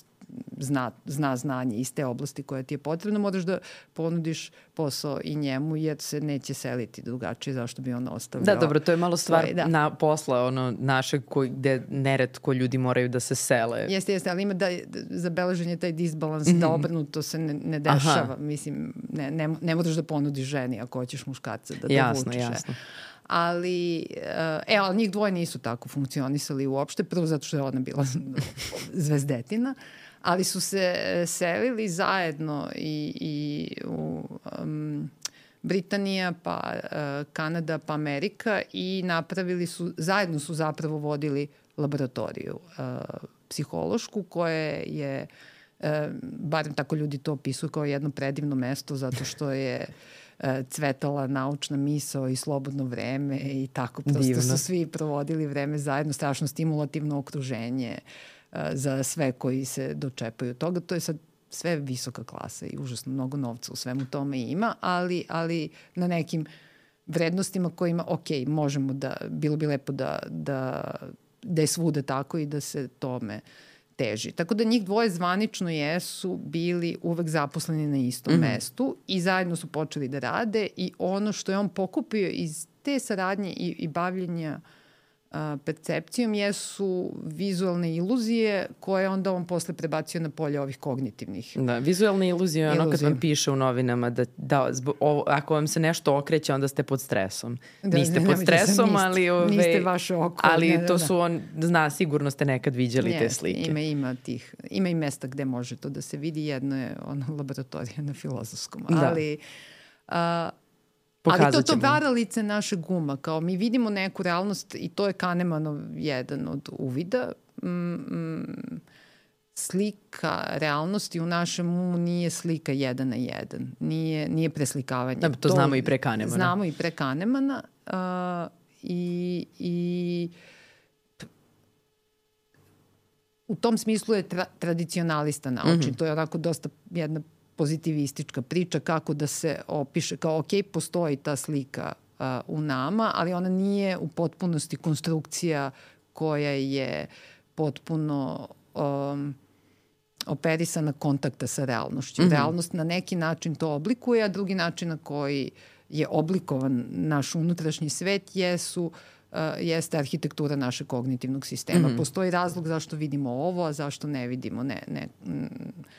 zna znanje iz te oblasti koja ti je potrebna, moraš da ponudiš posao i njemu jer se neće seliti drugačije, zašto bi on ostavljao. Da, dobro, to je malo stvar na posla našeg gde neretko ljudi moraju da se sele. Jeste, ali ima zabeležen je taj disbalans, da obrnuto se ne dešava. Mislim, ne moraš da ponudiš ženi ako hoćeš muškarca da dovučiš. Jasno. Ali njih dvoje nisu tako funkcionisali uopšte, prvo zato što je ona bila zvezdetina, ali su se selili zajedno i u Britanija, pa Kanada, pa Amerika i zajedno su zapravo vodili laboratoriju psihološku koje je, barem tako ljudi to opisuju, kao jedno predivno mesto zato što je cvetala naučna misao i slobodno vreme i tako. Prosto su svi provodili vreme zajedno, strašno stimulativno okruženje za sve koji se dočepaju toga. To je sad sve visoka klasa i užasno mnogo novca u svemu tome ima, ali na nekim vrednostima kojima, možemo bilo bi lepo da je svuda tako i da se tome teži. Tako da njih dvoje zvanično jesu bili uvek zaposleni na istom mestu i zajedno su počeli da rade i ono što je on pokupio iz te saradnje i bavljenja percepcijom jesu vizualne iluzije koje onda on posle prebacio na polje ovih kognitivnih. Da, vizualne iluzije je ono kad vam piše u novinama da ako vam se nešto okreće onda ste pod stresom. Niste pod stresom, ali niste vaše oko. Ali to su sigurno ste nekad viđali te slike. Ima i mesta gde može to da se vidi. Jedno je laboratorija na Filozofskom. Ali ali to varalice našeg uma, kao mi vidimo neku realnost i to je Kahnemanov jedan od uvida. Slika realnosti u našem umu nije slika 1 na 1. Nije preslikavanje. Da, to znamo i pre Kahnemana. Znamo i pre Kahnemana i u tom smislu je tradicionalista naučni. To je onako dosta jedna pozitivistička priča kako da se opiše kao postoji ta slika u nama, ali ona nije u potpunosti konstrukcija koja je potpuno operisana kontakta sa realnošću. Realnost na neki način to oblikuje, a drugi način na koji je oblikovan naš unutrašnji svet jeste arhitektura našeg kognitivnog sistema. Postoji razlog zašto vidimo ovo, a zašto ne vidimo.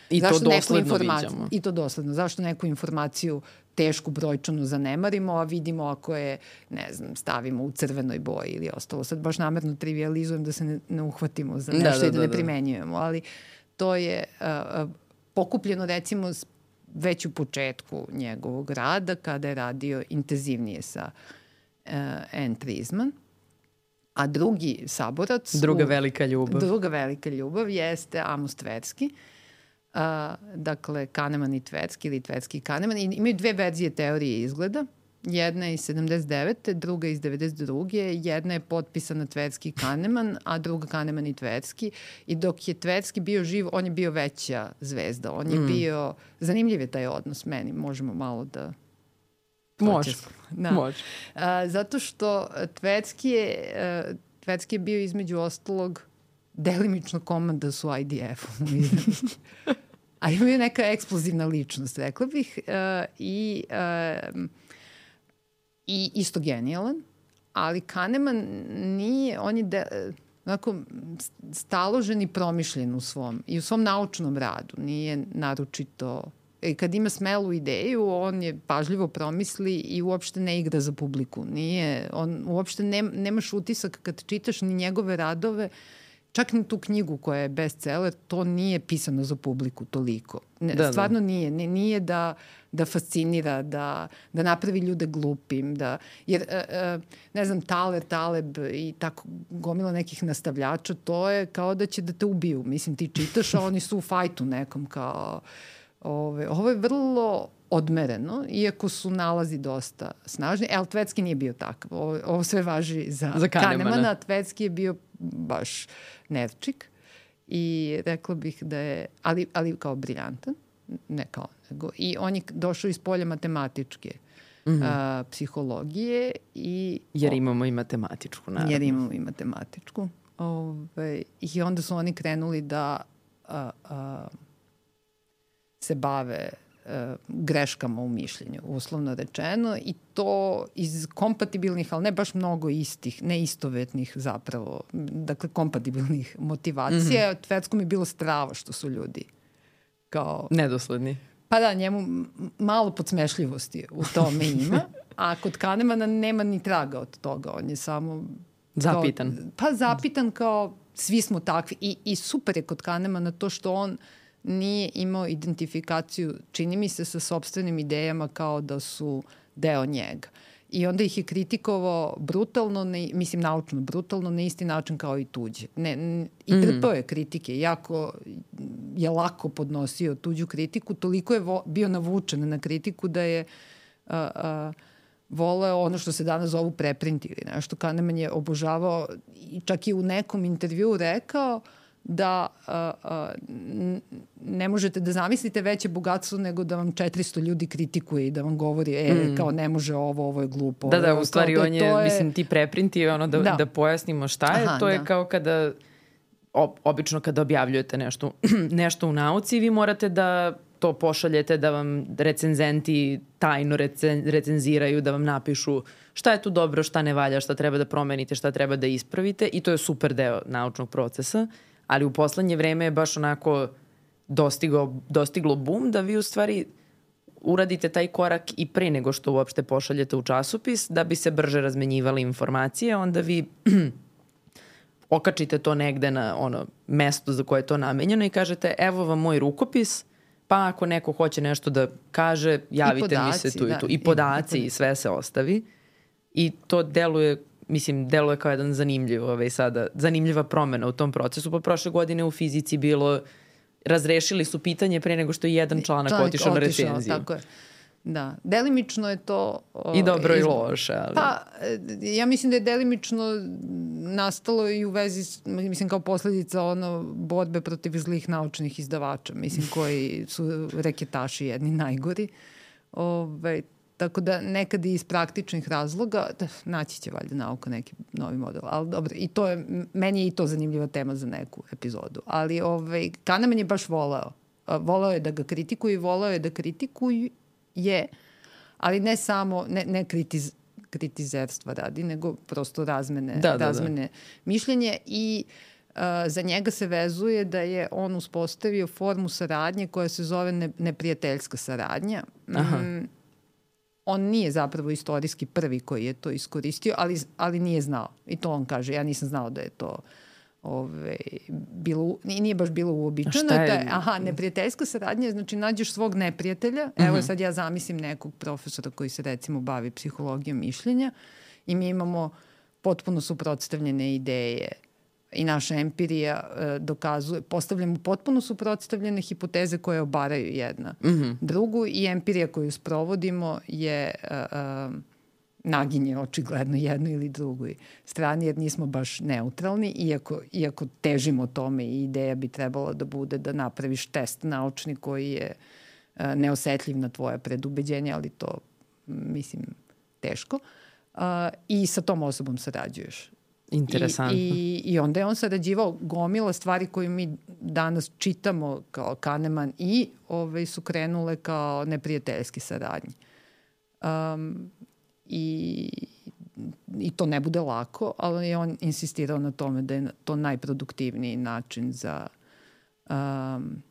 I to dosledno viđamo. I to dosledno. Zašto neku informaciju tešku brojčanu zanemarimo, a vidimo ako je, stavimo u crvenoj boji ili ostalo. Sad baš namerno trivializujem da se ne uhvatimo za nešto i da ne primenjujemo. Ali to je pokupljeno recimo već u početku njegovog rada, kada je radio intenzivnije sa Anne Treisman, a drugi saborac... Druga velika ljubav jeste Amos Tversky. Dakle, Kahneman i Tversky ili Tversky i Kahneman. Imaju dve verzije teorije izgleda. Jedna je iz 79. druga iz 92. Jedna je potpisana Tversky i Kahneman, a druga Kahneman i Tversky. I dok je Tversky bio živ, on je bio veća zvezda. On je bio... Zanimljiv je taj odnos meni. Možemo malo da... Može. Zato što Tversky je bio između ostalog delimično komandas u IDF-u. A imaju neka eksplozivna ličnost, rekla bih. I isto genijalan. Ali Kahneman nije, on je onako staložen i promišljen u svom naučnom radu. Nije naročito... Kad ima smelu ideju, on je pažljivo promisli i uopšte ne igra za publiku. On uopšte nemaš utisak kad čitaš ni njegove radove, čak ni tu knjigu koja je bestseller, to nije pisano za publiku toliko. Stvarno nije. Nije da fascinira, da napravi ljude glupim. Jer, Taleb i tako gomila nekih nastavljača, to je kao da će da te ubiju. Mislim, ti čitaš, a oni su u fajtu nekom kao... Ovo je vrlo odmereno, iako su nalazi dosta snažni. Ali Tversky nije bio takav. Ovo sve važi za Kahnemana. Tversky je bio baš nerčik i rekla bih da je, ali kao briljantan, ne kao nego. I on je došao iz polja matematičke psihologije. Jer imamo i matematičku, naravno. Jer imamo i matematičku. I onda su oni krenuli da se bave greškama u mišljenju, uslovno rečeno, i to iz kompatibilnih, ali ne baš mnogo istih, neistovetnih zapravo, dakle kompatibilnih motivacija. Tverskom je bilo strava što su ljudi kao... Nedosledni. Pa da, njemu malo podsmešljivosti u tome ima, a kod Kahnemana nema ni traga od toga, on je samo... Zapitan. Zapitan kao svi smo takvi i super je kod Kahnemana to što on nije imao identifikaciju, čini mi se, sa sopstvenim idejama kao da su deo njega. I onda ih je kritikovao brutalno, mislim naučno brutalno, na isti način kao i tuđe. I trpao je kritike, jako je lako podnosio tuđu kritiku, toliko je bio navučen na kritiku da je voleo ono što se danas zovu preprinti ili nešto. Kahneman je obožavao i čak i u nekom intervjuu rekao da ne možete da zamislite veće bogatstvo nego da vam 400 ljudi kritikuje i da vam govori kao ne može ovo je glupo. Da, u stvari on je, mislim, ti preprinti, ono da pojasnimo šta je, to je kao kada, obično kada objavljujete nešto u nauci, vi morate da to pošaljete, da vam recenzenti tajno recenziraju, da vam napišu šta je tu dobro, šta ne valja, šta treba da promenite, šta treba da ispravite, i to je super deo naučnog procesa. Ali u poslednje vreme je baš onako dostiglo boom da vi u stvari uradite taj korak i pre nego što uopšte pošaljete u časopis, da bi se brže razmenjivale informacije, onda vi okačite to negde na mesto za koje je to namenjeno i kažete evo vam moj rukopis, pa ako neko hoće nešto da kaže, javite mi se tu i tu. I podaci i sve se ostavi. I to deluje kao jedan zanimljiva promena u tom procesu. Pa prošle godine u fizici bilo, razrešili su pitanje pre nego što je jedan članak otišao na recenziju. Tako je. Da, delimično je to... I dobro i loše, ali... Pa, ja mislim da je delimično nastalo i u vezi, mislim, kao posledica borbe protiv zlih naučnih izdavača, mislim, koji su reketaši jedni najgori. Tako da nekad i iz praktičnih razloga, naći će valjda nauka neki novi model, ali dobro, i to je, meni je i to zanimljiva tema za neku epizodu, ali Kahneman je baš voleo je da ga kritikuju i voleo je da kritikuje, ali ne samo, ne kritizerstva radi, nego prosto razmene mišljenje i za njega se vezuje da je on uspostavio formu saradnje koja se zove neprijateljska saradnja. On nije zapravo istorijski prvi koji je to iskoristio, ali nije znao. I to on kaže, ja nisam znao da je to nije baš bilo uobičajeno. Neprijateljska saradnja, znači nađeš svog neprijatelja. Evo sad ja zamislim nekog profesora koji se recimo bavi psihologijom mišljenja i mi imamo potpuno suprotstavljene ideje i naša empirija dokazuje, postavljamo potpuno suprotstavljene hipoteze koje obaraju jedna drugu i empirija koju sprovodimo je naginje očigledno jednoj ili drugoj strani, jer nismo baš neutralni, iako težimo tome i ideja bi trebala da bude da napraviš test naučni koji je neosetljiv na tvoje predubeđenje, ali to, mislim, teško. I sa tom osobom sarađuješ. Interesantno. I onda je on sarađivao gomila stvari koje mi danas čitamo kao Kahneman i su krenule kao neprijateljski saradnje. I to ne bude lako, ali je on insistirao na tome da je to najproduktivniji način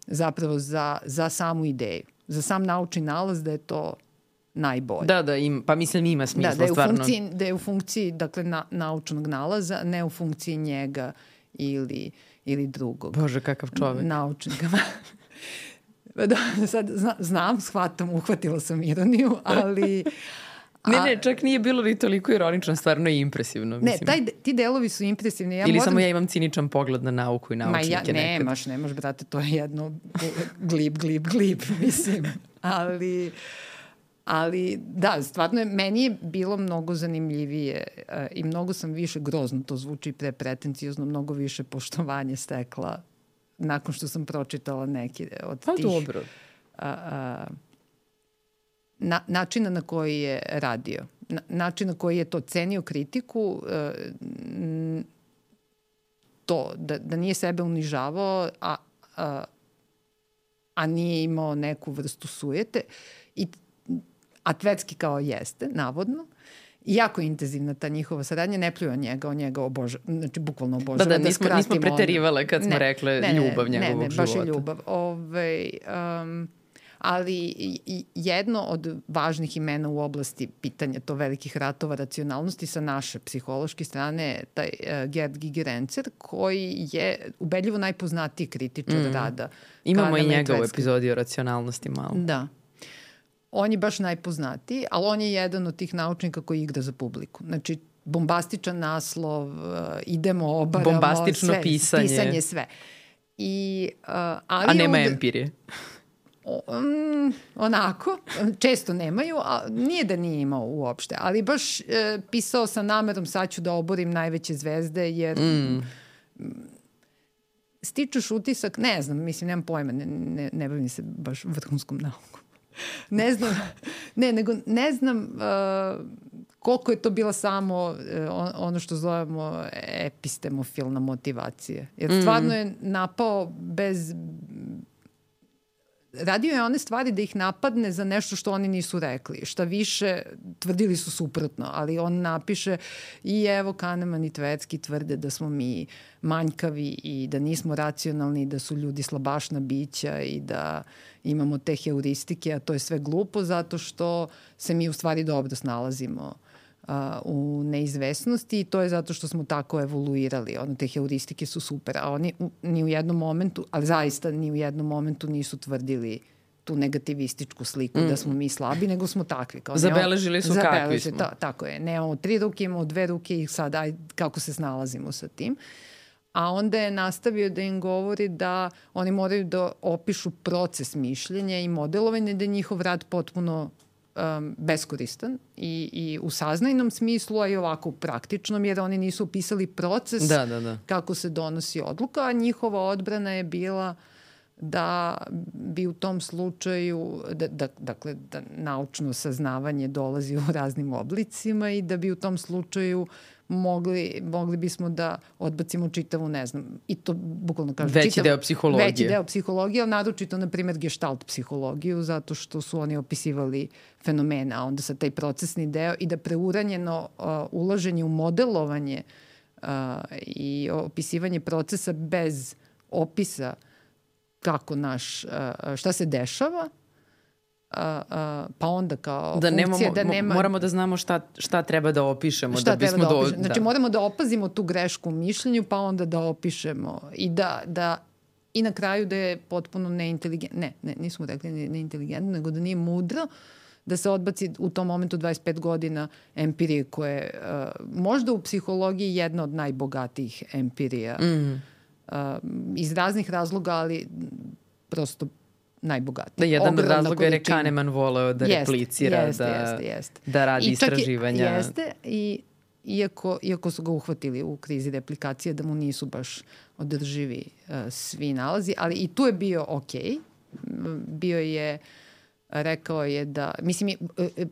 zapravo za samu ideju. Za sam naučni nalaz da je to najbolje. Pa mislim ima smisla stvarno. Da je u funkciji dakle, naučnog nalaza, ne u funkciji njega ili drugog. Bože, kakav čovek. Naučnika. Sad znam, uhvatila sam ironiju, ali... Ne, čak nije bilo ni toliko ironično, stvarno je impresivno. Mislim. Ne, ti delovi su impresivni. Ili samo ja imam ciničan pogled na nauku i naučnike nekad. Nemaš, brate, to je jedno glib, mislim. Ali da, stvarno meni je bilo mnogo zanimljivije i mnogo sam više, grozno to zvuči pretenciozno, mnogo više poštovanje stekla nakon što sam pročitala neki od tih... dobro. načina na koji je radio, način na koji je to cenio kritiku, to da nije sebe unižavao, a nije imao neku vrstu sujete. A Tvetzky kao jeste, navodno. Jako intenzivna ta njihova saradnja, ne pljuju on njega obožava, znači bukvalno obožava. Da, nismo preterivale kad smo rekle ljubav njegovog života. Ne, baš je ljubav. Ali jedno od važnih imena u oblasti pitanja to velikih ratova racionalnosti sa naše psihološke strane taj Gerd Gigerenzer, koji je ubedljivo najpoznatiji kritičar rada. Imamo i njega u epizodi o racionalnosti malo. Da. On je baš najpoznatiji, ali on je jedan od tih naučnika koji igra za publiku. Znači, bombastičan naslov, idemo, obaramo, bombastično sve, pisanje sve. A nema empirije. Onako, često nemaju, a nije da nije imao uopšte, ali baš pisao sa namerom sad ću da oborim najveće zvezde, jer stičuš utisak, ne znam, mislim, nemam pojma, ne bavim se baš vrhunskom naukom. Ne znam koliko je to bila samo ono što zovemo epistemofilna motivacija. Jer stvarno je napao bez... Radio je one stvari da ih napadne za nešto što oni nisu rekli. Šta više, tvrdili su suprotno, ali on napiše i evo Kahneman i Tvetzky tvrde da smo mi manjkavi i da nismo racionalni, da su ljudi slabašna bića i da imamo te heuristike, a to je sve glupo zato što se mi u stvari dobro snalazimo u neizvesnosti i to je zato što smo tako evoluirali. Te heuristike su super, a oni ni u jednom momentu, ali zaista ni u jednom momentu nisu tvrdili tu negativističku sliku da smo mi slabi, nego smo takvi. Zabeležili su kakvi smo. Tako je. Nemamo 3 ruke, imamo 2 ruke i sad kako se snalazimo sa tim. A onda je nastavio da im govori da oni moraju da opišu proces mišljenja i modelovanja, da je njihov rad potpuno beskoristan i u saznajnom smislu, a i ovako u praktičnom, jer oni nisu opisali proces kako se donosi odluka, a njihova odbrana je bila da bi u tom slučaju, dakle, da naučno saznavanje dolazi u raznim oblicima i da bi u tom slučaju mogli bismo da odbacimo čitavu, ne znam, i to bukvalno kažem. Veći deo psihologije, ali naročito, na primjer, gestalt psihologiju, zato što su oni opisivali fenomene, a onda sad taj procesni deo i da preuranjeno ulaženje u modelovanje i opisivanje procesa bez opisa kako šta se dešava, pa onda kao funkcija da nema... Moramo da znamo šta treba da opišemo. Znači moramo da opazimo tu grešku u mišljenju, pa onda da opišemo i na kraju da je potpuno neinteligentno. Ne, nismo rekli neinteligentno, nego da nije mudro da se odbaci u tom momentu 25 godina empirije koje možda u psihologiji jedna od najbogatijih empirija iz raznih razloga, ali prosto najbogatiji. Da, jedan od razloga jer je Kahneman voleo da replicira, da radi istraživanja. Jeste, i iako su ga uhvatili u krizi replikacije, da mu nisu baš održivi svi nalazi, ali i tu je bio okej. Bio je, rekao je da, mislim,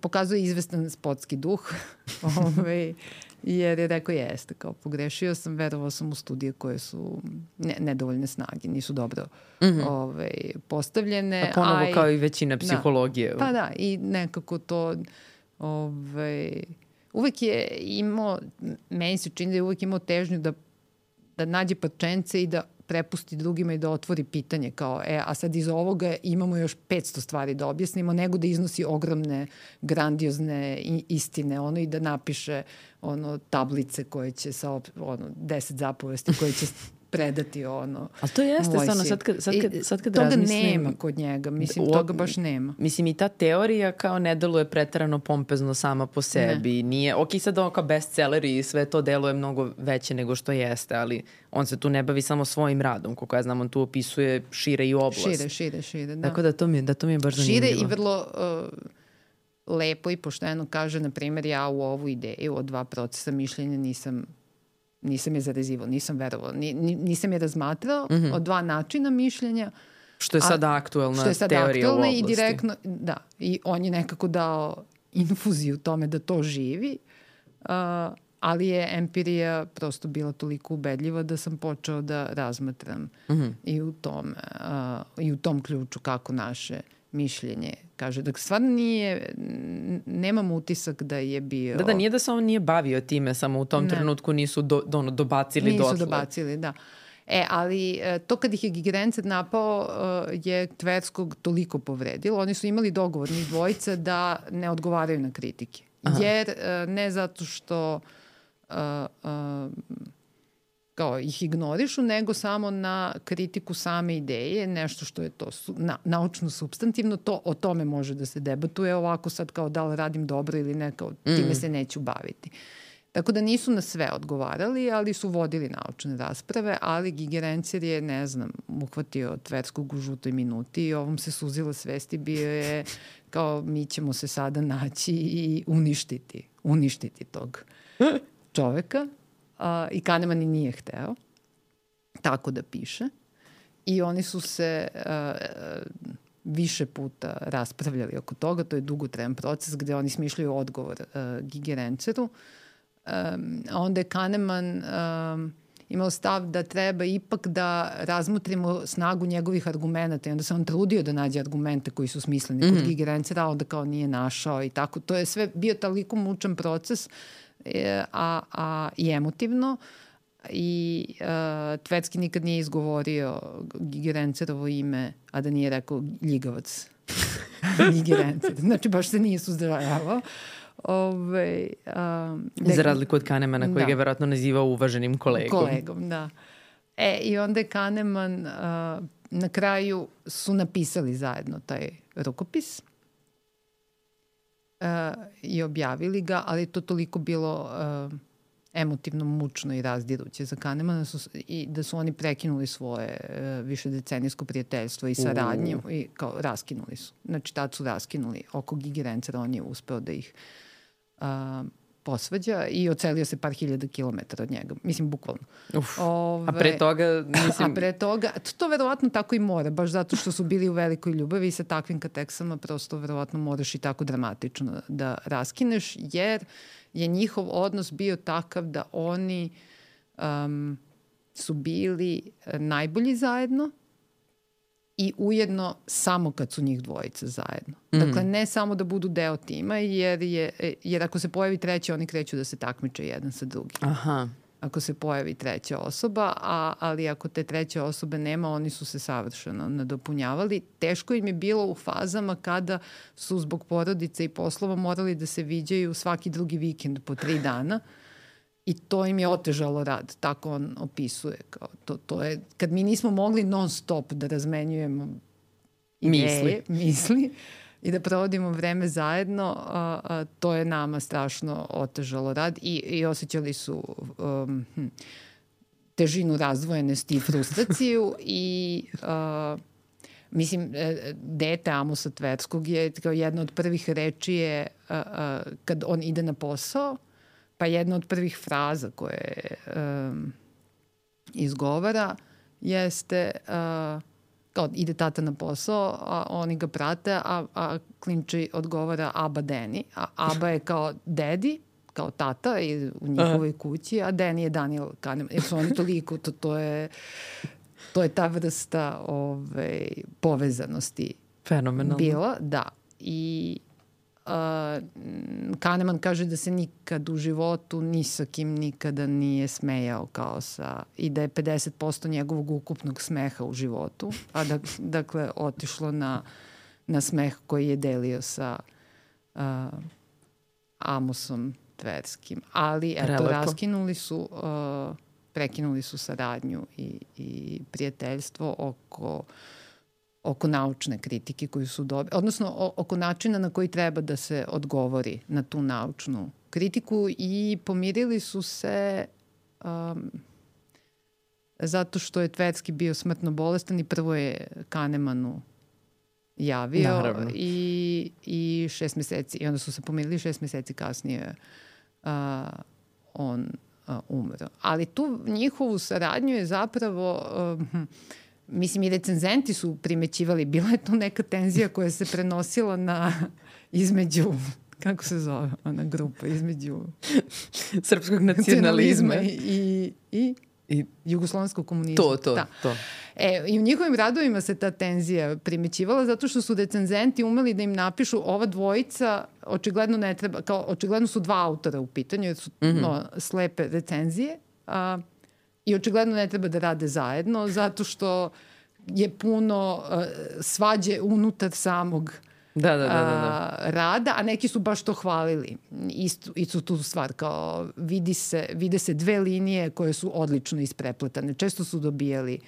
pokazuje izvestan sportski duh, jer je rekao jeste, kao pogrešio sam, verovao sam u studije koje su nedovoljne snage, nisu dobro postavljene. A ponovo kao i većina psihologije. Pa da, i nekako to uvek je imao, meni se čini da je uvek imao težnju da nađe parčence i da prepusti drugima i da otvori pitanje kao, a sad iz ovoga imamo još 500 stvari da objasnimo, nego da iznosi ogromne, grandiozne istine, i da napiše tablice koje će sa 10 zapovesti koje će predati Ali to jeste stvarno, sad kad toga razmislim... nema kod njega, mislim, toga baš nema. Mislim, i ta teorija kao ne deluje preterano pompezno sama po sebi. Nije, sad kao bestselleri i sve to deluje mnogo veće nego što jeste, ali on se tu ne bavi samo svojim radom, koliko ja znam, on tu opisuje šire i oblast. Šire, da. Tako da to mi je baš zanimljivo. Šire i vrlo... lepo i pošteno kaže, na primjer, ja u ovu ideju od 2 procesa mišljenja nisam je zarezivao, nisam verovao, nisam je razmatrao od 2 načina mišljenja, Što je sada aktuelna teorija u oblasti. I direktno, da, i on je nekako dao infuziju tome da to živi, ali je empirija prosto bila toliko ubedljiva da sam počeo da razmatram i u tom ključu kako naše mišljenje kaže. Dakle, stvarno nemam utisak da je bio... Da, nije da se on nije bavio time, samo u tom trenutku nisu dobacili dotle. Nisu dobacili, da. Ali to kad ih je Gigerencer napao je Tverskog toliko povredilo. Oni su imali dogovor njih dvojica da ne odgovaraju na kritike. Jer ne zato što kao ih ignorišu, nego samo na kritiku same ideje, nešto što je to naučno supstantivno, o tome može da se debatuje, ovako sad kao da li radim dobro ili ne, kao time se neću baviti. Tako da nisu na sve odgovarali, ali su vodili naučne rasprave, ali Gigerencer je, ne znam, uhvatio Tverskog u žutoj minuti i ovom se suzila svesti, bio je kao mi ćemo se sada naći i uništiti tog čoveka. I Kahneman i nije hteo tako da piše. I oni su se više puta raspravljali oko toga. To je dugotrajan proces gde oni smišljaju odgovor Gigerenceru. Onda je Kahneman imao stav da treba ipak da razmotrimo snagu njegovih argumenta i onda se on trudio da nađe argumente koji su smisleni kod Gigerencera, a onda kao nije našao i tako. To je sve bio toliko mučan proces i emotivno i Tverski nikad nije izgovorio Gigerencerovo ime, a da nije rekao ljigavac Gigerencer. Znači baš se nije suzdržavao. Za razliku od Kahnemana kojeg je verovatno nazivao uvaženim kolegom. Da. I onda je Kahneman na kraju su napisali zajedno taj rukopis i objavili ga, ali je to toliko bilo emotivno mučno i razdiruće za Kahnemana i da su oni prekinuli svoje višedecenijsko prijateljstvo i saradnju i kao raskinuli su. Znači tad su raskinuli oko Gigerencera, on je uspeo da ih posvađa i ocelio se par hiljada kilometara od njega. Mislim, bukvalno. A pre toga, mislim... A pre toga, to verovatno tako i mora, baš zato što su bili u velikoj ljubavi i sa takvim kateksama prosto verovatno moraš i tako dramatično da raskineš, jer je njihov odnos bio takav da oni su bili najbolji zajedno i ujedno samo kad su njih dvojica zajedno. Dakle, ne samo da budu deo tima, jer ako se pojavi treća, oni kreću da se takmiče jedan sa drugim. Aha. Ako se pojavi treća osoba, ali ako te treće osobe nema, oni su se savršeno nadopunjavali. Teško im je bilo u fazama kada su zbog porodice i poslova morali da se viđaju svaki drugi vikend po 3 dana. I to im je otežalo rad, tako on opisuje. Kao to je, kad mi nismo mogli non stop da razmenjujemo ideje, misli i da provodimo vreme zajedno, to je nama strašno otežalo rad i osjećali su težinu razdvojenosti i frustraciju i mislim, dete Amosa Tverskog je kao jedna od prvih reči je kad on ide na posao, pa jedna od prvih fraza koje izgovara jeste kao ide tata na posao, a oni ga prate, a klinči odgovara Aba Deni. A Aba je kao dedi, kao tata u njihovoj kući, a Deni je Daniel Kahneman. Jer su oni toliko, to je ta vrsta povezanosti fenomenalno bila. Da. I Kahneman kaže da se nikad u životu ni sa kim nikada nije smejao i da je 50% njegovog ukupnog smeha u životu, a dakle otišlo na smeh koji je delio sa Amosom Tverskim. Ali eto, prekinuli su saradnju i prijateljstvo oko naučne kritike koju su dobili, odnosno oko načina na koji treba da se odgovori na tu naučnu kritiku i pomirili su se zato što je Tverski bio smrtno bolestan i prvo je Kahnemanu javio i 6 meseci, i onda su se pomirili 6 meseci kasnije on umro. Ali tu njihovu saradnju je zapravo mislim, i recenzenti su primećivali, bila je to neka tenzija koja se prenosila između, kako se zove ona grupa, između srpskog nacionalizma i jugoslovenskog komunizma. To. I u njihovim radovima se ta tenzija primećivala zato što su recenzenti umeli da im napišu ova dvojica očigledno ne treba, kao očigledno su dva autora u pitanju jer su slepe recenzije i očigledno ne treba da rade zajedno zato što je puno svađe unutar samog rada, a neki su baš to hvalili. Istu tu stvar, kao vide se dve linije koje su odlično isprepletane. Često su dobijali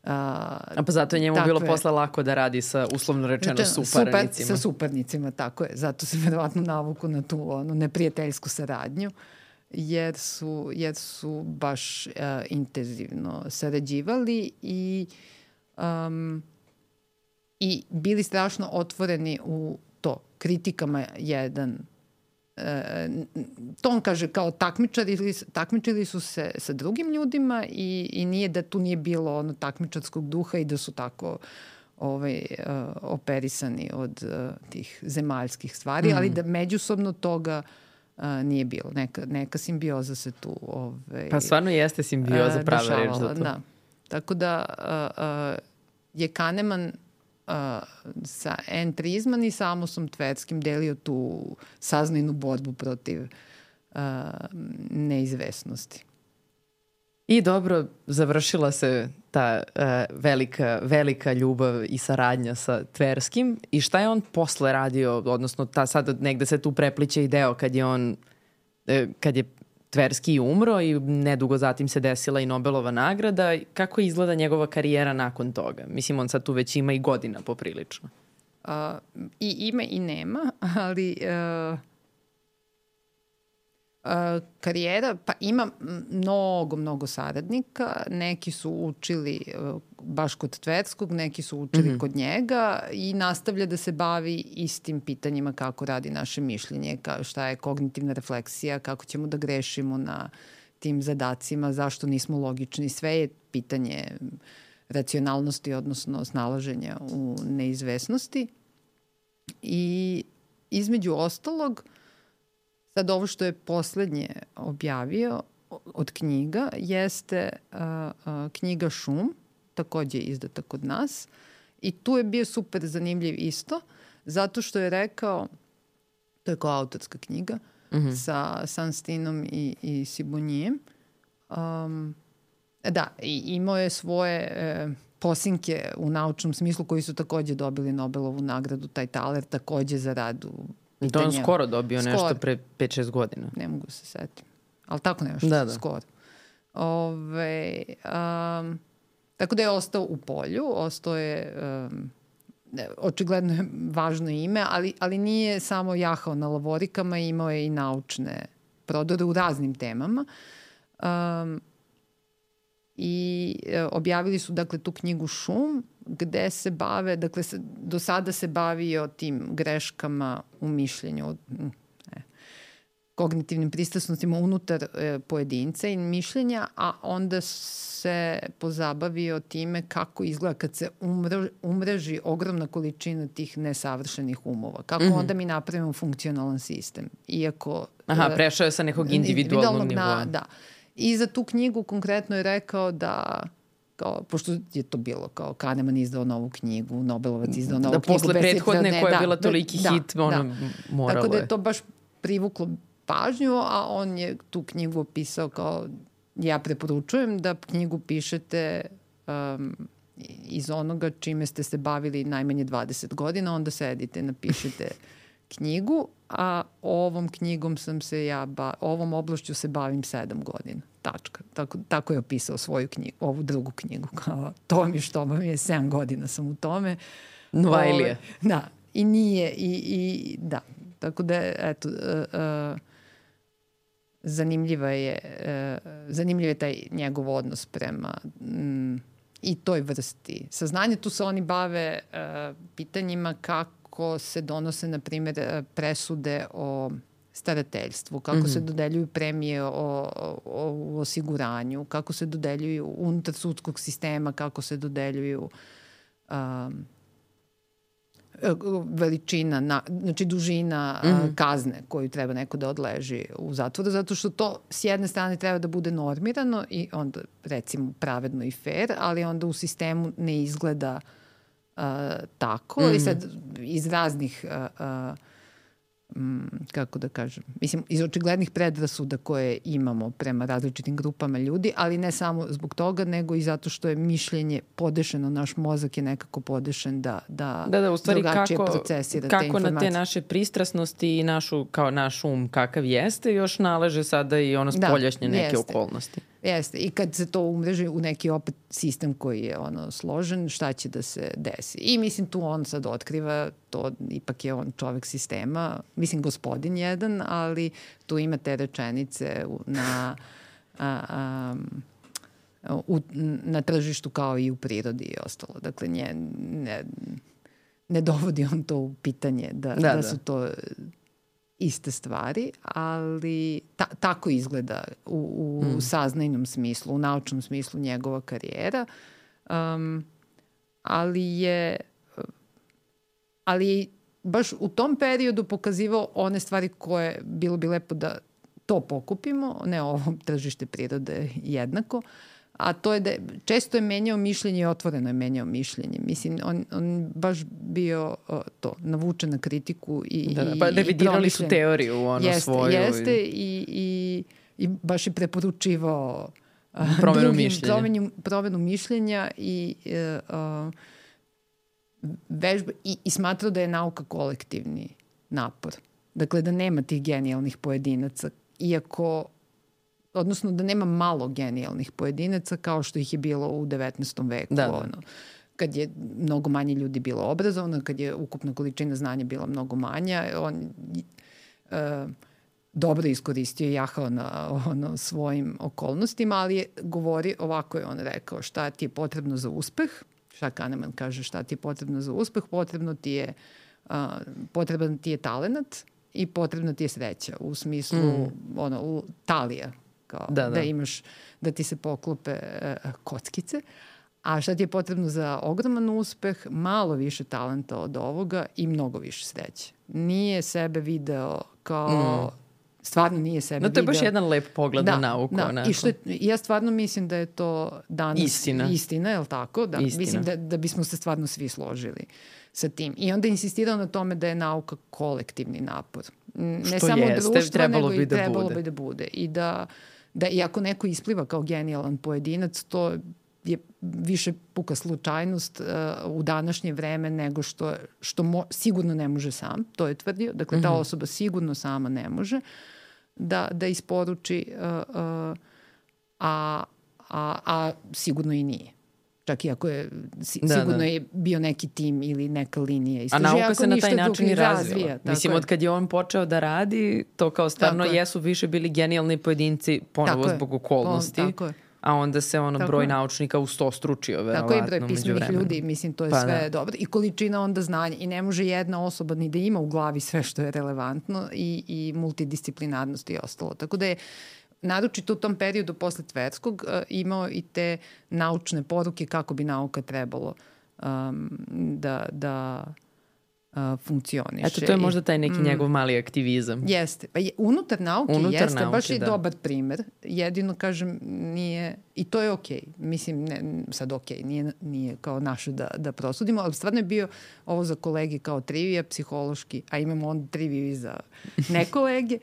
a pa zato je njemu bilo posle lako da radi sa, uslovno rečeno, suparnicima. Sa suparnicima, tako je. Zato se verovatno navuku na tu neprijateljsku saradnju, jer su baš intenzivno sarađivali i bili strašno otvoreni u to, kritikama jedan. To on kaže kao takmičili su se sa drugim ljudima i nije da tu nije bilo takmičarskog duha i da su tako operisani od tih zemaljskih stvari, ali da međusobno toga nije bilo. Neka simbioza se tu pa stvarno jeste simbioza, prava reč za to. Da. Tako da je Kahneman sa entrizman i Samosom Tverskim delio tu saznajnu borbu protiv neizvesnosti. I dobro, završila se ta velika ljubav i saradnja sa Tverskim. I šta je on posle radio, odnosno sad negde se tu prepliče i deo kad je Tverski umro i nedugo zatim se desila i Nobelova nagrada. Kako izgleda njegova karijera nakon toga? Mislim, on sad tu već ima i godina poprilično. I ima i nema, ali karijera, pa ima mnogo saradnika. Neki su učili baš kod Tverskog, neki su učili kod njega i nastavlja da se bavi istim pitanjima kako radi naše mišljenje, šta je kognitivna refleksija, kako ćemo da grešimo na tim zadacima, zašto nismo logični. Sve je pitanje racionalnosti, odnosno snalaženja u neizvesnosti. I između ostalog, sad ovo što je poslednje objavio od knjiga jeste knjiga Šum, takođe izdata kod nas. I tu je bio super zanimljiv isto, zato što je rekao, to je kao autorska knjiga, sa Sunsteinom i Sibonjijem. Da, i imao je svoje posinke u naučnom smislu koji su takođe dobili Nobelovu nagradu, taj Thaler takođe za rad u to on skoro dobio nešto pre 5-6 godina. Ne mogu se setiti. Ali tako nešto, skoro. Tako da je ostao u polju, ostao je, očigledno je važno ime, ali nije samo jahao na lavorikama, imao je i naučne prodore u raznim temama. I objavili su, dakle, tu knjigu Šum, gde se bave, dakle, do sada se bavio tim greškama u mišljenju, kognitivnim pristrasnostima unutar pojedinca i mišljenja, a onda se pozabavio time kako izgleda kad se umreži ogromna količina tih nesavršenih umova. Kako onda mi napravimo funkcionalan sistem. Iako... prešao je sa nekog individualnog nivoa. Da. I za tu knjigu konkretno je rekao da, pošto je to bilo kao Kahneman izdao novu knjigu, Nobelovac izdao novu knjigu. Da posle prethodne koja je bila toliki hit, moralo je. Tako da je to baš privuklo pažnju, a on je tu knjigu opisao kao, ja preporučujem da knjigu pišete iz onoga čime ste se bavili najmanje 20 godina, onda sedite, napišete knjigu, a ovom knjigom ovom oblašću se bavim 7 godina. Tačka. Tako je opisao svoju knjigu, ovu drugu knjigu. To mi što vam je 7 godina sam u tome. Novajlije. Da. I nije. I da. Tako da, eto, zanimljiv je taj njegov odnos prema i toj vrsti saznanja. Tu se oni bave pitanjima kako se donose, na primjer, presude o starateljstvu, kako se dodeljuju premije o osiguranju, kako se dodeljuju unutar sudskog sistema, kako se dodeljuju veličina, znači dužina kazne koju treba neko da odleži u zatvoru, zato što to s jedne strane treba da bude normirano i onda recimo pravedno i fair, ali onda u sistemu ne izgleda tako i sad iz raznih kako da kažem, mislim, iz očiglednih predrasuda koje imamo prema različitim grupama ljudi, ali ne samo zbog toga, nego i zato što je mišljenje podešeno, naš mozak je nekako podešen da u stvari drugačije procesira te informacije. Kako na te naše pristrasnosti i naš um kakav jeste, još naleže sada i spoljašnje neke okolnosti. Jeste. I kad se to umreži u neki opet sistem koji je složen, šta će da se desi? I mislim tu on sad otkriva, to ipak je on čovek sistema, mislim gospodin jedan, ali tu ima te rečenice na tržištu kao i u prirodi i ostalo. Dakle, ne dovodi on to u pitanje da su to iste stvari, ali tako izgleda u saznajnom smislu, u naučnom smislu njegova karijera, ali je baš u tom periodu pokazivao one stvari koje bilo bi lepo da to pokupimo, ne ovo tržište prirode jednako, a to je da često je menjao mišljenje i otvoreno je menjao mišljenje. Mislim, on baš bio navučen na kritiku i pa revidirali su teoriju svoju. Jeste i baš je preporučivao promenu mišljenja i vežba i smatrao da je nauka kolektivni napor. Dakle, da nema tih genijalnih pojedinaca, odnosno da nema malo genijalnih pojedinaca kao što ih je bilo u 19. veku. Kad je mnogo manje ljudi bilo obrazovano, kad je ukupna količina znanja bila mnogo manja, on dobro iskoristio i jahao na svojim okolnostima, ali je ovako je on rekao, šta ti je potrebno za uspeh, šta Kahneman kaže, šta ti je potrebno za uspeh, potreban ti je talenat i potrebna ti je sreća, u smislu talija, da imaš, da ti se poklope kockice, a šta ti je potrebno za ogroman uspeh, malo više talenta od ovoga i mnogo više sreće. Nije sebe video kao stvarno nije sebe video. To je baš jedan lep pogled na nauku. I ja stvarno mislim da je to danas istina, je li tako? Da, mislim da bismo se stvarno svi složili sa tim. I onda insistirao na tome da je nauka kolektivni napor. Ne samo društva, nego i trebalo bi da bude. I da iako neko ispliva kao genijalan pojedinac, to je više puka slučajnost u današnje vreme nego što sigurno ne može sam, to je tvrdio. Dakle, ta osoba sigurno sama ne može da isporuči, a sigurno i nije. Čak i ako je, sigurno je bio neki tim ili neka linija. A nauka se na taj način i razvija. Mislim, od kad je on počeo da radi, to kao stvarno jesu više bili genijalni pojedinci ponovo zbog okolnosti. A onda se broj naučnika ustostručio, verovatno. Tako i broj pismenih ljudi, mislim, to je sve dobro. I količina onda znanja. I ne može jedna osoba ni da ima u glavi sve što je relevantno i multidisciplinarnost i ostalo. Tako da je naročito u tom periodu posle Tverskog imao i te naučne poruke kako bi nauka trebalo da funkcioniše. Eto, to je možda taj neki njegov mali aktivizam. Jeste. Pa unutar nauke jeste, baš je dobar primer. Jedino, kažem, nije, i to je okej. Mislim, sad okej, nije kao naše da prosudimo, ali stvarno je bio ovo za kolege kao trivija, psihološki, a imamo onda triviju i za ne kolege.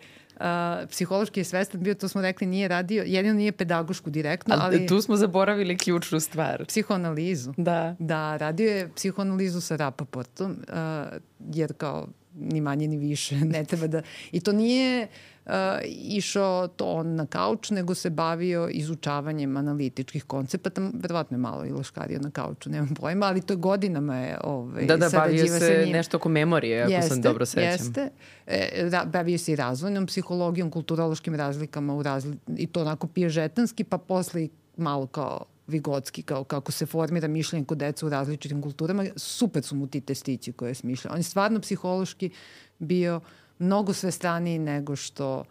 Psihološki je svestan bio, to smo rekli, nije radio, jedino nije pedagošku direktno, ali tu smo zaboravili ključnu stvar. Psihoanalizu. Da, radio je psihoanalizu sa Rapaportom, jer kao ni manje ni više ne treba da... I to nije išao to on na kauč, nego se bavio izučavanjem analitičkih koncepata. Verovatno je malo i laškario na kauču, nemam pojma, ali to je godinama je bavio se nešto oko memorije, ako sam dobro sećam. Jeste. Bavio se i razvojnom psihologijom, kulturološkim razlikama i to onako piježetanski, pa posle malo kao Vigotski, kao kako se formira mišljenje kod deca u različitim kulturama. Super su mu ti testići koje je smišljao. On je stvarno psihološki bio mnogo svestraniji nego što...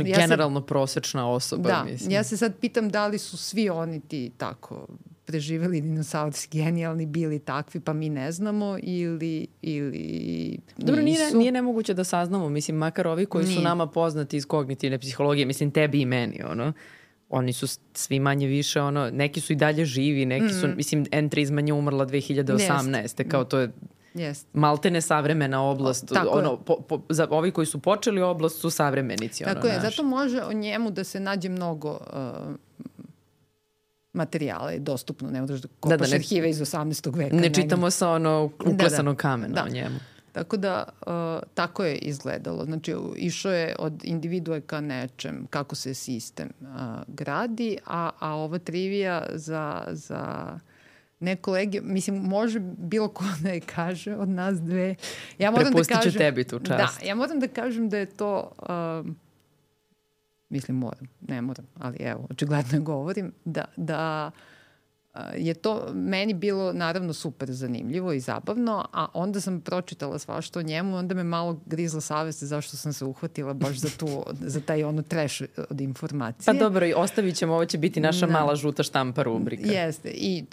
generalno prosečna osoba, mislim. Ja se sad pitam da li su svi oni ti tako preživeli dinosaurski genijalni, bili takvi, pa mi ne znamo ili Dobro, nije nemoguće da saznamo, mislim, makar ovi koji su nama poznati iz kognitivne psihologije, mislim, tebi i meni, oni su svi manje više, neki su i dalje živi, neki su, mislim, N3 izmanje umrla 2018. Kao to je maltene savremena oblast. Za ovi koji su počeli oblast su savremenici. Tako je, zato može o njemu da se nađe mnogo materijala je dostupno, ne možeš da kopaš arhive iz 18. veka. Ne čitamo sa uklesanog kamena o njemu. Tako da, tako je izgledalo. Znači, išao je od individue ka nečem, kako se sistem gradi, a ova trivija za ne kolege, mislim, može bilo ko da je kaže od nas dve. Prepustit ću tebi tu čast. Da, ja moram da kažem da je to... mislim, moram, ne moram, ali evo, očigledno govorim, da je to meni bilo naravno super zanimljivo i zabavno, a onda sam pročitala svašta o njemu, onda me malo grizla savest zašto sam se uhvatila baš za taj trash od informacije. Pa dobro, i ostavit ćemo, ovo će biti naša mala žuta štampa rubrika. Jeste, i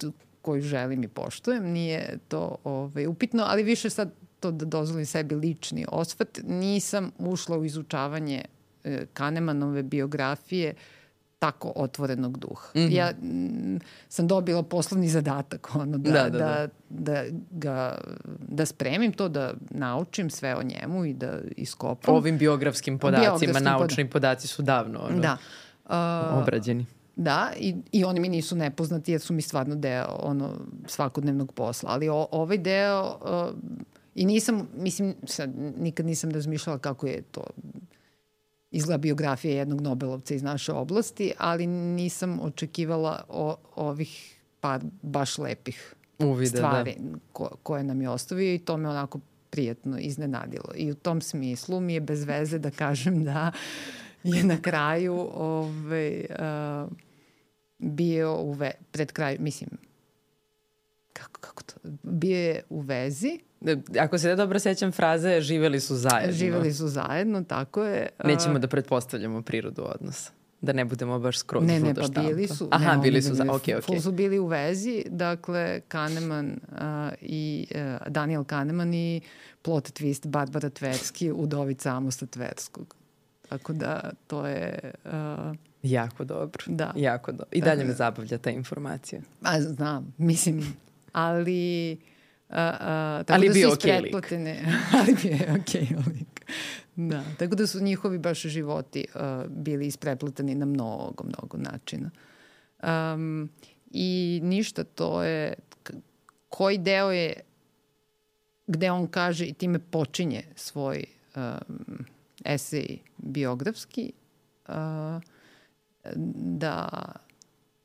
koju želim i poštujem, nije to upitno, ali više sad to da dozvolim sebi lični osvrt, nisam ušla u izučavanje Kahnemanove biografije tako otvorenog duha. Ja sam dobila poslovni zadatak da spremim to, da naučim sve o njemu i da iskopam. Ovim biografskim podacima, naučni podaci su davno obrađeni. Da, i oni mi nisu nepoznati jer su mi stvarno deo svakodnevnog posla. Ali ovaj deo i nisam, mislim, nikad nisam razmišljala kako je to izgleda biografija jednog Nobelovca iz naše oblasti, ali nisam očekivala ovih par baš lepih stvari koje nam je ostavio i to me onako prijatno iznenadilo. I u tom smislu mi je bez veze da kažem da je na kraju bio pred kraju, mislim, kako to, bio je u vezi. Ako se dobro sećam fraze, živeli su zajedno. Živeli su zajedno, tako je. Nećemo da pretpostavljamo prirodu odnosa. Da ne budemo baš skroz žuta štampa. Ne, pa bili su. Aha, bili su zajedno, okej. Full su bili u vezi, dakle, Kahneman i Daniel Kahneman i plot twist Barbara Tversky, udovica Amosa Tverskog. Tako da, to je... jako dobro. Da. Jako dobro. I dalje me zabavlja ta informacija. Znam, mislim, ali... ali bio okej lik. Ali bio je okej lik. Da, tako da su njihovi baš životi bili isprepletani na mnogo načina. I ništa, to je... Koji deo je gde on kaže i time počinje svoj esej biografski,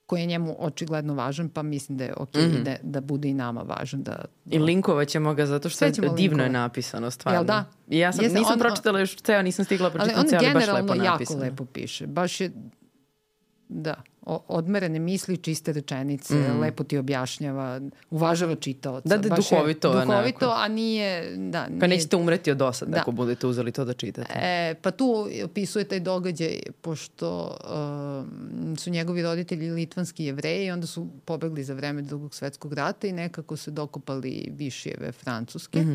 koji je njemu očigledno važan, pa mislim da je okej da bude i nama važan. I linkovat ćemo ga zato što je divno je napisano, stvarno. Jel da? I ja nisam pročitala još ceo, nisam stigla pročitati ceo, ali baš lepo napisano. Ali on generalno jako lepo piše. Baš je, odmerene misli, čiste rečenice, lepo ti objašnjava, uvažava čitaoca. Da, duhovito, a nije... Pa nećete umreti od dosada ako budete uzeli to da čitate. Pa tu opisuje taj događaj, pošto su njegovi roditelji litvanski Jevreji i onda su pobegli za vreme Drugog svetskog rata i nekako se dokopali Višijeve Francuske.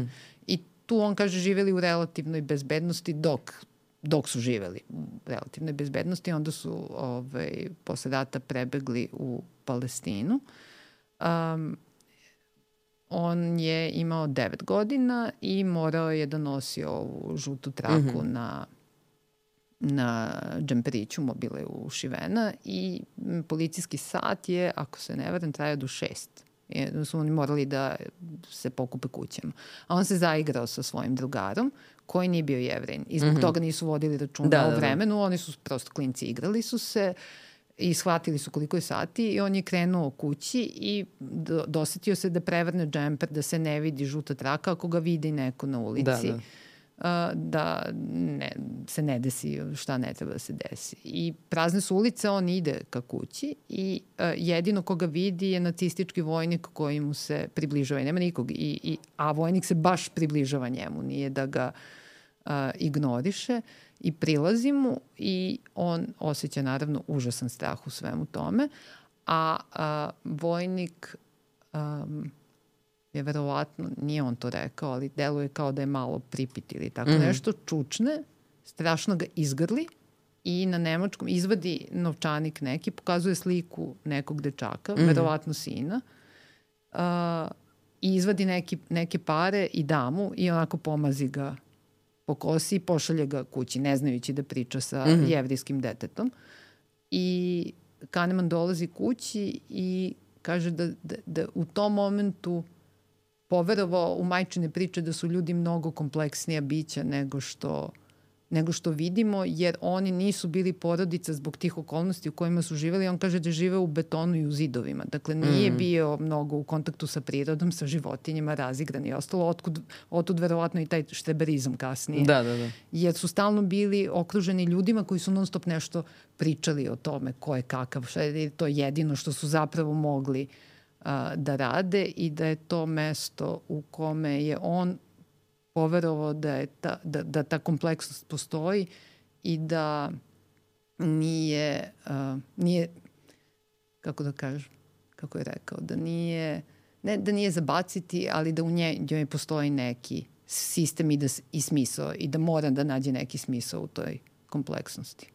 I tu on kaže živeli u relativnoj bezbednosti dok su živeli u relativnoj bezbednosti, onda su posle rata prebegli u Palestinu. On je imao 9 godina i morao je da nosi ovu žutu traku na džemperiću, mobile ušivena i policijski sat je, ako se ne varam, trajao do 6. Da su oni morali da se pokupe kućama. A on se zaigrao sa svojim drugarom koji nije bio Jevrin. I zbog toga nisu vodili računa o vremenu. Oni su prosto klinci, igrali su se i shvatili su koliko je sati i on je krenuo kući i dosetio se da prevrne džemper, da se ne vidi žuta traka ako ga vidi neko na ulici. Da se ne desi šta ne treba da se desi. I prazne su ulice, on ide ka kući i jedino koga vidi je nacistički vojnik koji mu se približava i nema nikog. A vojnik se baš približava njemu, nije da ga ignoriše i prilazi mu i on osjeća naravno užasan strah u svemu tome, a vojnik je verovatno, nije on to rekao, ali deluje kao da je malo pripit ili tako nešto, čučne, strašno ga izgrli i na nemačkom izvadi novčanik neki, pokazuje sliku nekog dečaka, verovatno sina, i izvadi neke pare i da mu i onako pomazi ga po kosi i pošalje ga kući, ne znajući da priča sa jevrijskim detetom. I Kahneman dolazi kući i kaže da u tom momentu poverovao u majčine priče da su ljudi mnogo kompleksnija bića nego što vidimo, jer oni nisu bili porodica zbog tih okolnosti u kojima su živeli. On kaže da žive u betonu i u zidovima. Dakle, nije bio mnogo u kontaktu sa prirodom, sa životinjama, razigran i ostalo. Otud verovatno i taj štreberizam kasnije. Da. Jer su stalno bili okruženi ljudima koji su non stop nešto pričali o tome ko je kakav, šta je to jedino što su zapravo mogli da rade i da je to mesto u kome je on poverovao da ta kompleksnost postoji i da nije kako da kažem, kako je rekao, da nije, ne da nije zabaciti, ali da u njoj postoji neki sistem i smisao i da mora da nađe neki smisao u toj kompleksnosti.